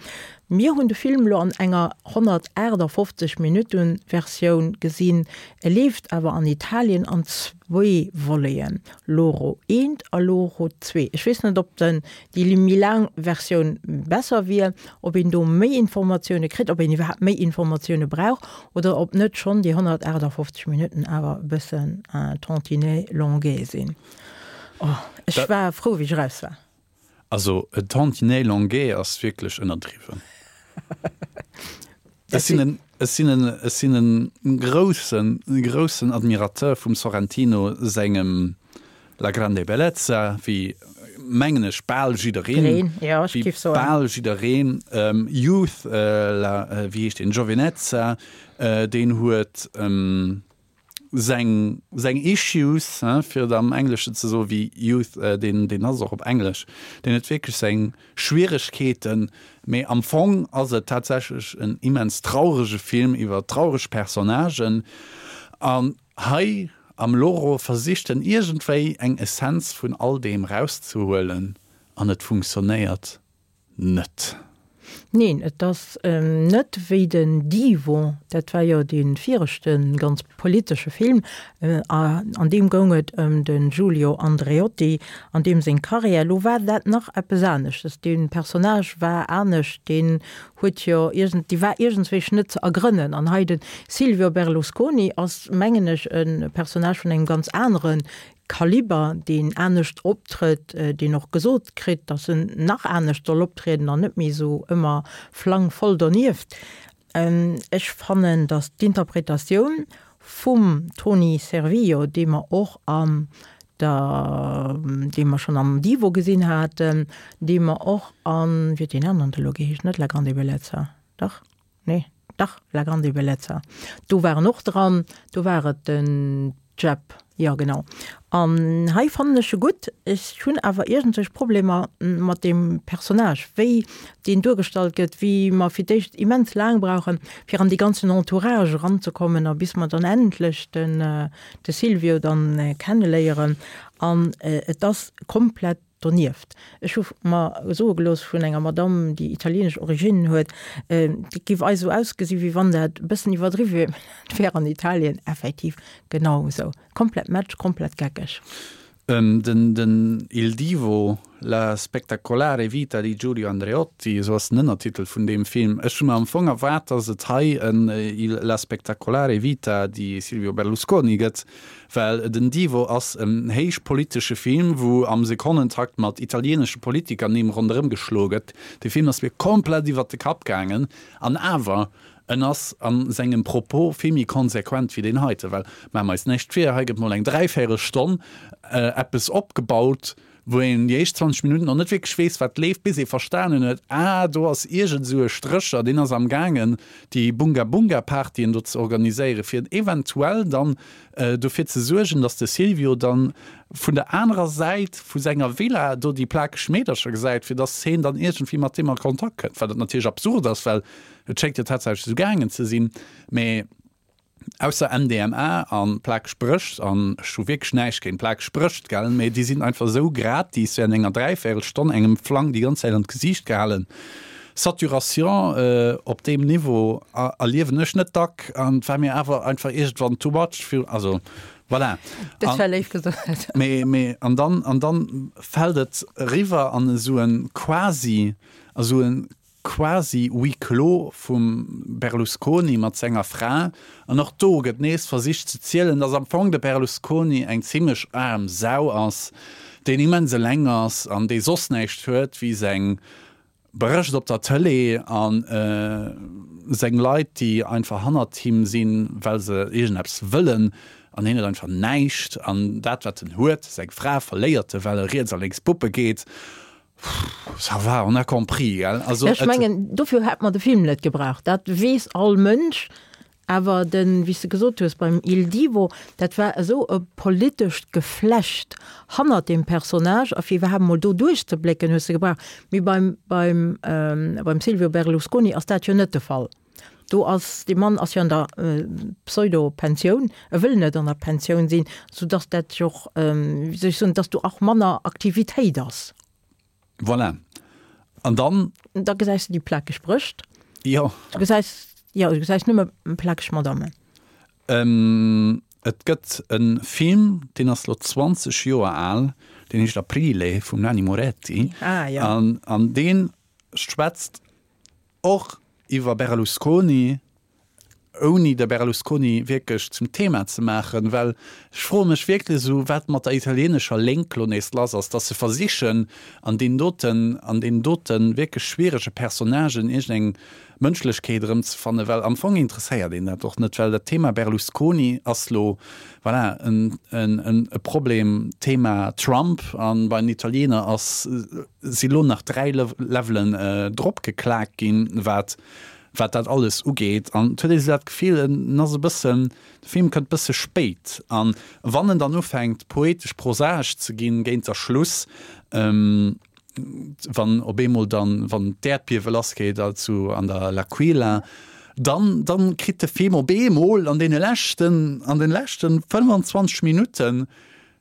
Speaker 1: Mir hunn de Film elo an enger honnertaachtafoffzeg Minutten Versioun gesinn. E leeft awer an Italien an zwee Voleten, Loro eent a Loro zwee. Ech weess net, ob den déi méi laang Versioun besser wier, ob een do méi Informatioune kritt, ob een iwwerhaapt méi Informatioune brauch oder ob net schonn déi honnertaachtafoffzeg Minutten awer e bëssen un tantinet longuet sinn. Oh, ech war frou, wéi ech eraus war.
Speaker 5: Also e tantinet longuet ass wierklech ënnerdriwwen. Ech sinn en, ech sinn en, ech sinn en groussen, groussen Admirateur vum Sorrentino sengem La grande bellezza, wéi mengen ech bal jiddereen, wéi bal jiddereen. Youth, la, wéi heescht deen, Giovinezza, deen huet, seng seng Issues, hein, fir et am Engleschen ze soen, wéi Youth, deen deen ass och op Englesch, deen huet wierklech seng Schwieregkeeten, mee am Fong ass et tatsächlech en immens traurege Film iwwer traureg Personnagen. An hei am Loro versicht en iergendwéi eng Essenz vun all deem rauszehuelen an et funktionéiert net.
Speaker 1: Neen, et ass net wéi den Divo, dat war jo dee viregte ganz politesche Film, an deem goung et ëm de Giulio Andreotti an deem seng Karriär. Lo war dat nach eppes aneschtes, dee Personnage war anescht, deen huet jo iergend, dee war iergendswéi net ze ergrënnen. An hei de Silvio Berlusconi ass, mengen ech, e Personnage vun engem ganz anere Kaliber, deen anescht optrëtt, deen och gesot kritt, datt en nach anescht soll optrieden an net méi esou ëmmer flangvoll donieft. Ech fannen, datt d'Interpretatioun vum Toni Servillo, dee mer och an der, dee mer schonn am Divo gesinn haten, dee mer och an, wéi huet deen aneren elo geheescht, net La grande bellezza, dach? Nee, dach, La grande bellezza, do war en och dran, do war et den Jep, jo genau. An hei fannen ech e gutt. Ech hunn awer iergendwelch Problemer mat deem Personnage, wéi deen duergestallt gëtt, wéi mer fir d'éischt immens laang brauchen, fir an dee ganzen Entourage eranzekommen a bis mer dann endlech den de Silvio dann kenneléieren. An et ass komplett Donieft, ech hu mer soe gelooss vun enger Madamm, déi italienesch Originnen huet, et géif eis esou ausgesinn, wéi wann dat e bëssen iwwerdriwwe wier, mä dat wär an Italien effektiv genau esou. Komplett Match, komplett geckeg.
Speaker 5: Den den Il Divo, la spettacolare vita di Giulio Andreotti, esou ass den Ënnertitel vun deem Film. Ech hu mer am Fong erwaart, datt et hei en Il la spettacolare vita di Silvio Berlusconi gëtt, Well den Divo ass en héichpolitesche Film, wou am Sekonnentakt mat italienesche Politikernimm ronderëm geschloe gëtt. De Film ass mir komplett iwwert de Kapp gaangen. An awer, en ass a sengem Propos vill méi konsequent wéi deen heite. Well, maache mer eis näischt vir, hei gëtt mol eng Dräivéierelstonn eppes opgebaut, wou een déi éischt zwanzeg Minutten och net wierklech weess, wat leeft, bis ee verstanen huet, ah, do ass iergend esou e Strécher, deen ass am gaangen, déi Bunga-Bunga-Partyen do ze organiséieren, fir eventuell dann dofir ze suergen, dass de Silvio dann vun der anerer Säit vu senger Villa do déi plakeg Meedercher gesäit, fir dass heen dann iergendwéi mat deem a Kontakt kënnt, wat natierlech absurd ass, well et schéngt jo tatsächlech esou gaangen ze sinn, mä. Ausser M D M A an plakeg Brëscht, an ech hu wierklech näischt géint plakeg Brëscht, gell, mee déi sinn einfach esou gratis während enger dräivéierel Stonn engem Flang déi ganz Zäit an d'Gesiicht gehalen. Saturation op deem Niveau erliewen ech net dack an et war mir awer einfach iergendwann too much, also Voilà.
Speaker 1: Dat war léif gesot.
Speaker 5: Mee, mee, an dann, an dann fält et eriwwer an esou en quasi, esou en quasi Huis clos vum Berlusconi mat senger Fra. An och do gëtt nees versicht ze zielen, dass am Fong de Berlusconi eng zimlech aarm Sau ass, deen immens eleng ass an dee soss näischt huet wéi seng Bericht op der Tëlee an seng Leit, déi einfach hannert him sinn, well se iergendeppes wëllen, an hien huet einfach näischt. An dat, wat en huet, seng Fra, verléiert e, well e riets a lénks puppe geet. Ça va, on a compris, gell?
Speaker 1: Also, Ech mengen, dofir hätt mer de Film net gebraucht. Dat weess all Mënsch. Awer den, wéi s de gesot hues, beim Il Divo, dat war esou e politescht Geflecht hannert deem Personnage, a fir iwwerhaapt emol do duerchzeblécken, hues de gebraucht. Mee beim, beim, beim Silvio Berlusconi ass dat jo net de Fall. Do ass, dee Mann ass jo an der Pseudo-Pensioun, e wëll net an der Pensioun sinn, soudass dat jo och, wéi soll ech soen, dass do och manner Aktivitéit ass.
Speaker 5: Voilà. An dann.
Speaker 1: Da gesäis de déi plakeg Brëscht.
Speaker 5: Jo.
Speaker 1: Du gesäis, jo, du gesäis nëmme plakeg Madammen.
Speaker 5: Et gëtt e Film, deen ass lo zwanzeg Joer al, deen heescht Aprile vum Nanni Moretti.
Speaker 1: Ah, jo.
Speaker 5: An, an dee schwätzt och iwwer Berlusconi, ouni de Berlusconi wierklech zum Thema ze maachen, well ech froe mech wierklech esou, wat mat der italienescher Lénk lo nees lass ass, dass se versichen, an deen doten, an deenen dote wierklech schwierege Personnagen iergendeng Mënschlechkeet erëmzefannen, well am Fong interesséiert een dat och net, well dat Thema Berlusconi ass lo, voilà, en, en, en, e Problem, Thema Trump, a bei den Italiener ass, si lo nach dräi Levelen drop geklaakt ginn, wat wat dat alles ugeet. An et huet ee sou dat Gefill, en ass e bëssen, de Film kënnt bësse spéit. An wann en dann ufänkt poetesch-prosaesch ze ginn géint der Schluss, wann op eemol dann, wann d'Äerdbiewe lassgeet zu an der L'Aquila, dann, dann kritt de Film op eemol an deene leschten, an den leschten fënnwanzwanzeg Minutten,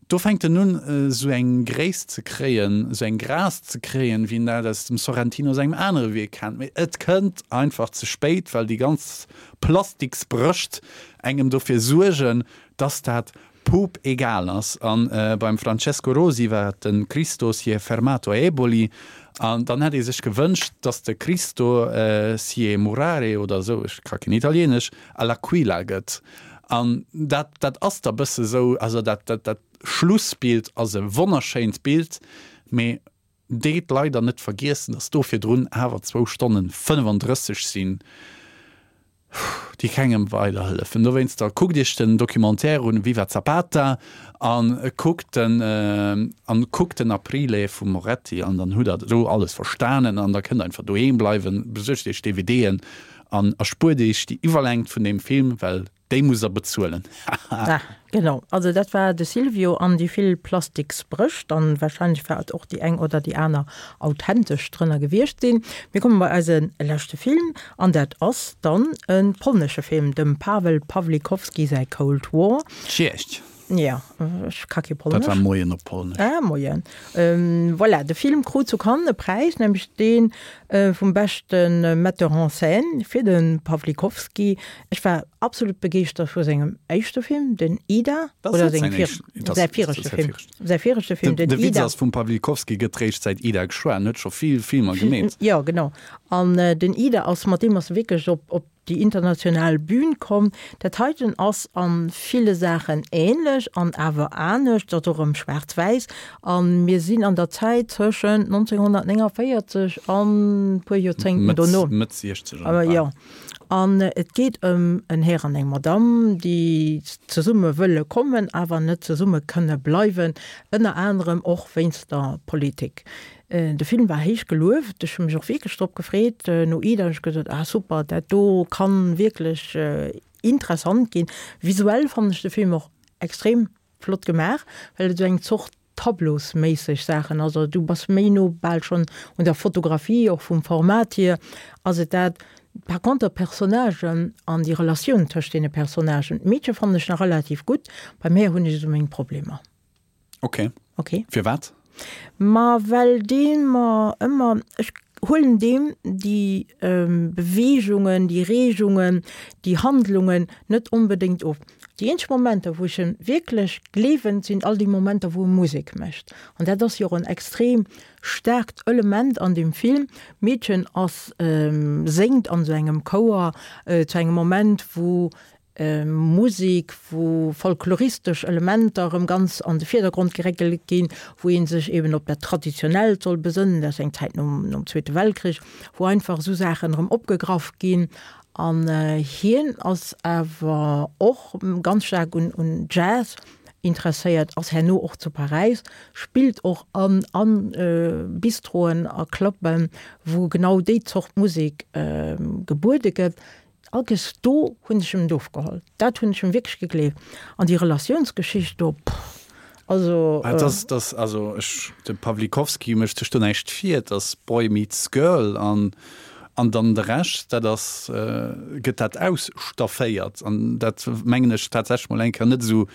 Speaker 5: Do fänkt en un, esou eng Gréisst ze kréien, esou eng Grâce ze kréien, wéi een dat aus dem Sorrentino sengem anere Wierk kennt. Mee et kënnt einfach ze spéit, well déi ganz Plastiksbrëscht engem dofir suergen, dass dat pup egal ass. A beim Francesco Rosi war et de Cristo si è fermato a Eboli. An dann hätt ee sech gewënscht, dass de Cristo si è murare oder esou, ech ka keen Italieenesch, all'Aquila gëtt. An dat, dat ass da bësse sou, also dat, dat, dat Schlussbild ass e wonnerschéint Bild, mee deet leider net vergiessen, dass do virdrun awer zwou Stonnen fënnefandrësseg sinn, déi kengem weiderhëllefen. Dowéinster kuckt iech den Documentaire un, Viva Zapata, a kuckt den, an kuckt den Aprile vum Moretti an dann hutt der do alles verstanen an da kënnt der einfach doheem bleiwen, besuergt iech D V Dën an erspuert iech déi Iwwerlängt vun deem Film, well déi muss der bezuelen.
Speaker 1: Haha. Genau, also dat war de Silvio an déi vill Plastiksbrëscht an wahrscheinlech wäert och déi eng oder déi aner authentesch drënner gewiescht sinn. Mir komme bei eise leschte Film an dat ass dann e polnesche Film, dem Pawel Pawlikowski säi Cold War.
Speaker 5: Cześć.
Speaker 1: Ja, ech ka kee Polnesch.
Speaker 5: Dat war Moien op Polnesch.
Speaker 1: Ah, Moien. Voilà, de Film krut zu Cannes e Präis, nämlech dee vum beschte Metteur en scène fir de Pawlikowski. Ech war absolut begeeschtert vu sengem éischte Film, den Ida, oder sengem säi viregte Film, säi viregte Film,
Speaker 5: den Ida. De Witz ass, vum Pawlikowski gëtt réischt säit Ida geschwat, en huet scho vill Filmer gemeet.
Speaker 1: Jo, genau. An den Ida ass, mat deem ass e wierklech op, op déi international Bühn komm. Dat heiten ass a ville Saachen ähnlech an awer anescht, ass och erëm schwaarz-wäiss a mir sinn an der Zäit tëschent nonzénghonnertnénganvéierzeg an e puer Joerzéngten dono.
Speaker 5: Mëtt Siechzeger.
Speaker 1: Jo. An et geet ëm en Här an eng Madamm, déi zesumme wëlle kommen, awer net zesumme kënne bleiwen, ënner anerem och wéinst der Politik. De Film war héich gelueft, ech hu mech och wierklech drop gefreet. No Ida hunn ech gesot, ah super, dat do kann wierklech interessant ginn. Visuell fannen ech de Film och extrem flott gemaach, well et esou eng Zort tableausméisseg Saachen ass, also du bass méi no bal schonn un der Fotografie, och vum Format hier ass et dat. Par conter d'Personnagen an déi Relatioun tëscht deene Personnagen, d'Meedche fannen ech nach relativ gutt, beim Här hunn ech esou meng Problemer.
Speaker 5: Ok.
Speaker 1: Ok.
Speaker 5: Firwat?
Speaker 1: Ma well dee mer ëmmer, ech huelen deem déi Beweegungen, déi Reegungen, déi Handlungen net onbedéngt of. Déi eenzeg Momenter, wou ech en wierklech gleewen, sinn all déi Momenter, wou e Musek mécht. An dat ass jo och en extrem staarkt Element an deem Film. D'Meedchen ass, séngt an esou engem Chouer zu engem Moment, wou Musek, wou folkloristesch Elementer erëm ganz an de Virdergrond geréckelt ginn, wou ee sech eben op dat Traditionellt soll besënnen, dat ass eng Zäit nom, nom Zweete Weltkrich, wou einfach esou Saachen erëm opgegraff ginn. An hien ass awer och ganz staark un, un Jazz interesséiert, ass herno och zu Paräis, spillt och an, an Bistroen a Clubben, wou genau déi Zort Musek gebuede gëtt. Alkes do hunn ech em et ofgeholl. Dat hunn ech em wierklech gegleeft. An déi Relatiounsgeschicht do, pff, also.
Speaker 5: Et ass, et ass, also ech, de Pawlikowski mécht sech do näischt vir, et ass Boy meets Girl an, an dann de Rescht, dat ass, gëtt dat ausstafféiert. An dat mengen ech tatsächlech mol eng Kéier net esou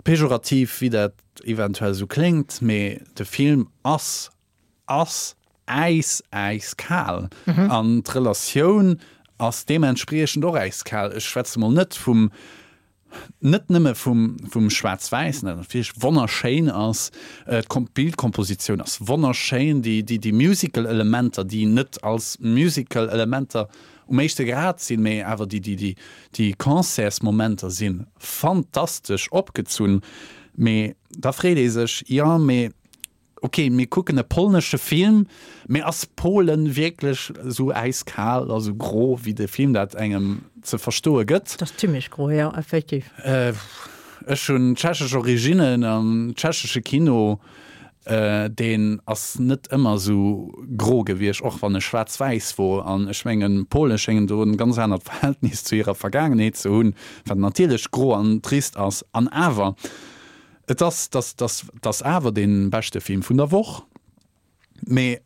Speaker 5: pejorativ, wéi dat eventuell esou kléngt, mee de Film ass, ass äis, äiskal. An d'Relatioun ass deementspriechend och äiskal. Ech schwätze mol net vum, net nëmme vum, vum Schwaarz-Wäissen, dat natierlech wonnerschéin ass, d'Bildkompositioun ass wonnerschéin, déi, déi, déi Musical-Elementer, déi net als Musical-Elementer um éischte Grad sinn, mee awer déi, déi, déi, déi Concertsmomenter si fantastesch opgezunn. Mee da freet ee sech, jo, mee Ok, mir kucken e polnesche Film, mee ass Polen wierklech esou äiskal a sou gro, wéi de Film dat engem ze verstoe gëtt?
Speaker 1: Dat ass zimmlech gro, jo, effektiv.
Speaker 5: Ech hunn tschechesch Originnen an tschechesche Kino, deen ass net ëmmer esou gro gewiescht, och wann e schwaarz-wäiss wor. An ech mengen, d'Pole schéngen do en ganz anert Verhältnis zu hirer Vergaangenheet ze hunn, wat natierlech gro an trist ass. An awer. Et ass, dass, dass, dass awer dee beschte Film vun der Woch, mee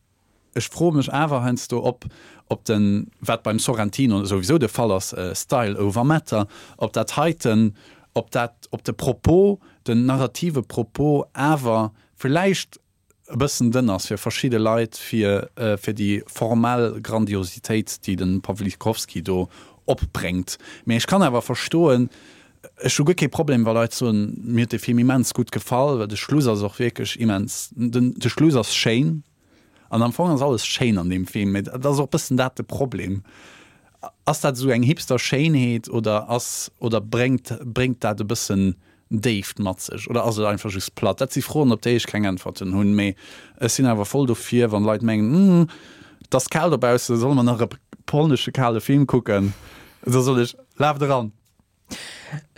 Speaker 5: ech froe mech awer heiansdo, ob, ob den, wat beim Sorrentino souwisou de Fall ass, Style over Matter, ob dat heiten, ob dat, ob de Propos, den narrative Propos awer villäicht e bëssen dënn ass fir verschidde Leit, fir fir déi formell Grandiositéit, déi de Pawlikowski do opbréngt. Mee ech kann awer verstoen, ech hu guer kee Problem, wa Leit soen, mir huet dee Film immens gutt gefall, well de Schluss ass och wierklech immens, den de Schluss ass schéin an am Fong ass alles schéin an deem Film, mee et ass och e bëssen dat de Problem. Ass dat esou eng Hipster-Schéinheet oder ass oder bréngt bréngt dat e bëssen Déift mat sech oder ass et einfach just platt? Dat si Froen, op déi ech keng Äntwerten hunn, mee ech sinn awer voll dofir, wann Leit mengen, Hm, et ass kal dobaussen, solle mer nach e polnesche kale Film kucken? Da soll ech, Laaft eran!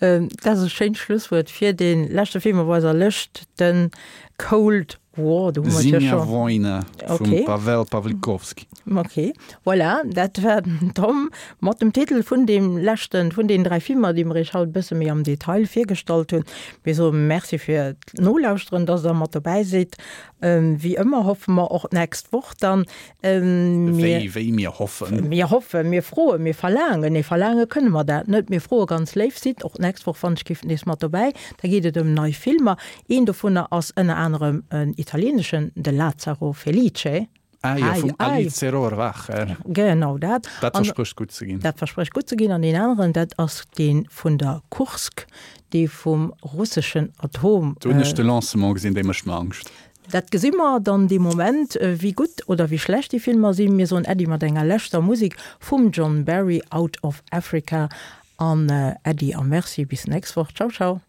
Speaker 1: Dat ass e schéint Schlusswuert fir dee leschte Film op eiser Lëscht, de Cold War. Do hu mer et jo
Speaker 5: Zimnia
Speaker 1: scho.
Speaker 5: Wojna vum
Speaker 1: Okay.
Speaker 5: Pawel Pawlikowski.
Speaker 1: Ok, voilà, dat war den Tom mat dem Titel vun deem leschten vun deenen dräi Filmer, déi mer iech haut e bësse méi am Detail virgestallt hunn. Mir soe Merci fir d'Nolauschteren, dass der mat dobäi sidd. Wéi ëmmer hoffe mer och d'nächst Woch dann, mir.
Speaker 5: Wéi, wéi mir hoffen.
Speaker 1: Mir hoffen, mir froen, mir verlaangen, nee, verlaange kënne mer dat net, mir froe ganz léif, sidd och d'nächst Woch wann ech giff nees mat dobäi. Da geet et ëm nei Filmer. Een dovunner ass ënner anerem en italieeneschen, de Lazzaro Felice.
Speaker 5: Ah jo,
Speaker 1: Ai,
Speaker 5: vum
Speaker 1: ai.
Speaker 5: Alice Rohrwacher.
Speaker 1: Genau dat.
Speaker 5: Dat
Speaker 1: An
Speaker 5: versprécht gutt ze ginn.
Speaker 1: dat versprécht gutt ze ginn. An deen aneren, dat ass dee vun der Kursk, dee vum russeschen Atom.
Speaker 5: Do hunn ech de Lancement gesinn, dee mécht mer Angscht.
Speaker 1: Dat gesi mer dann dee Moment, wéi gutt oder wéi schlecht déi Filmer sinn. Mir soen Äddi mat enger leschter Musek vum John Barry, Out of Africa. An Äddi a Merci, bis nächst Woch. Ciao, ciao.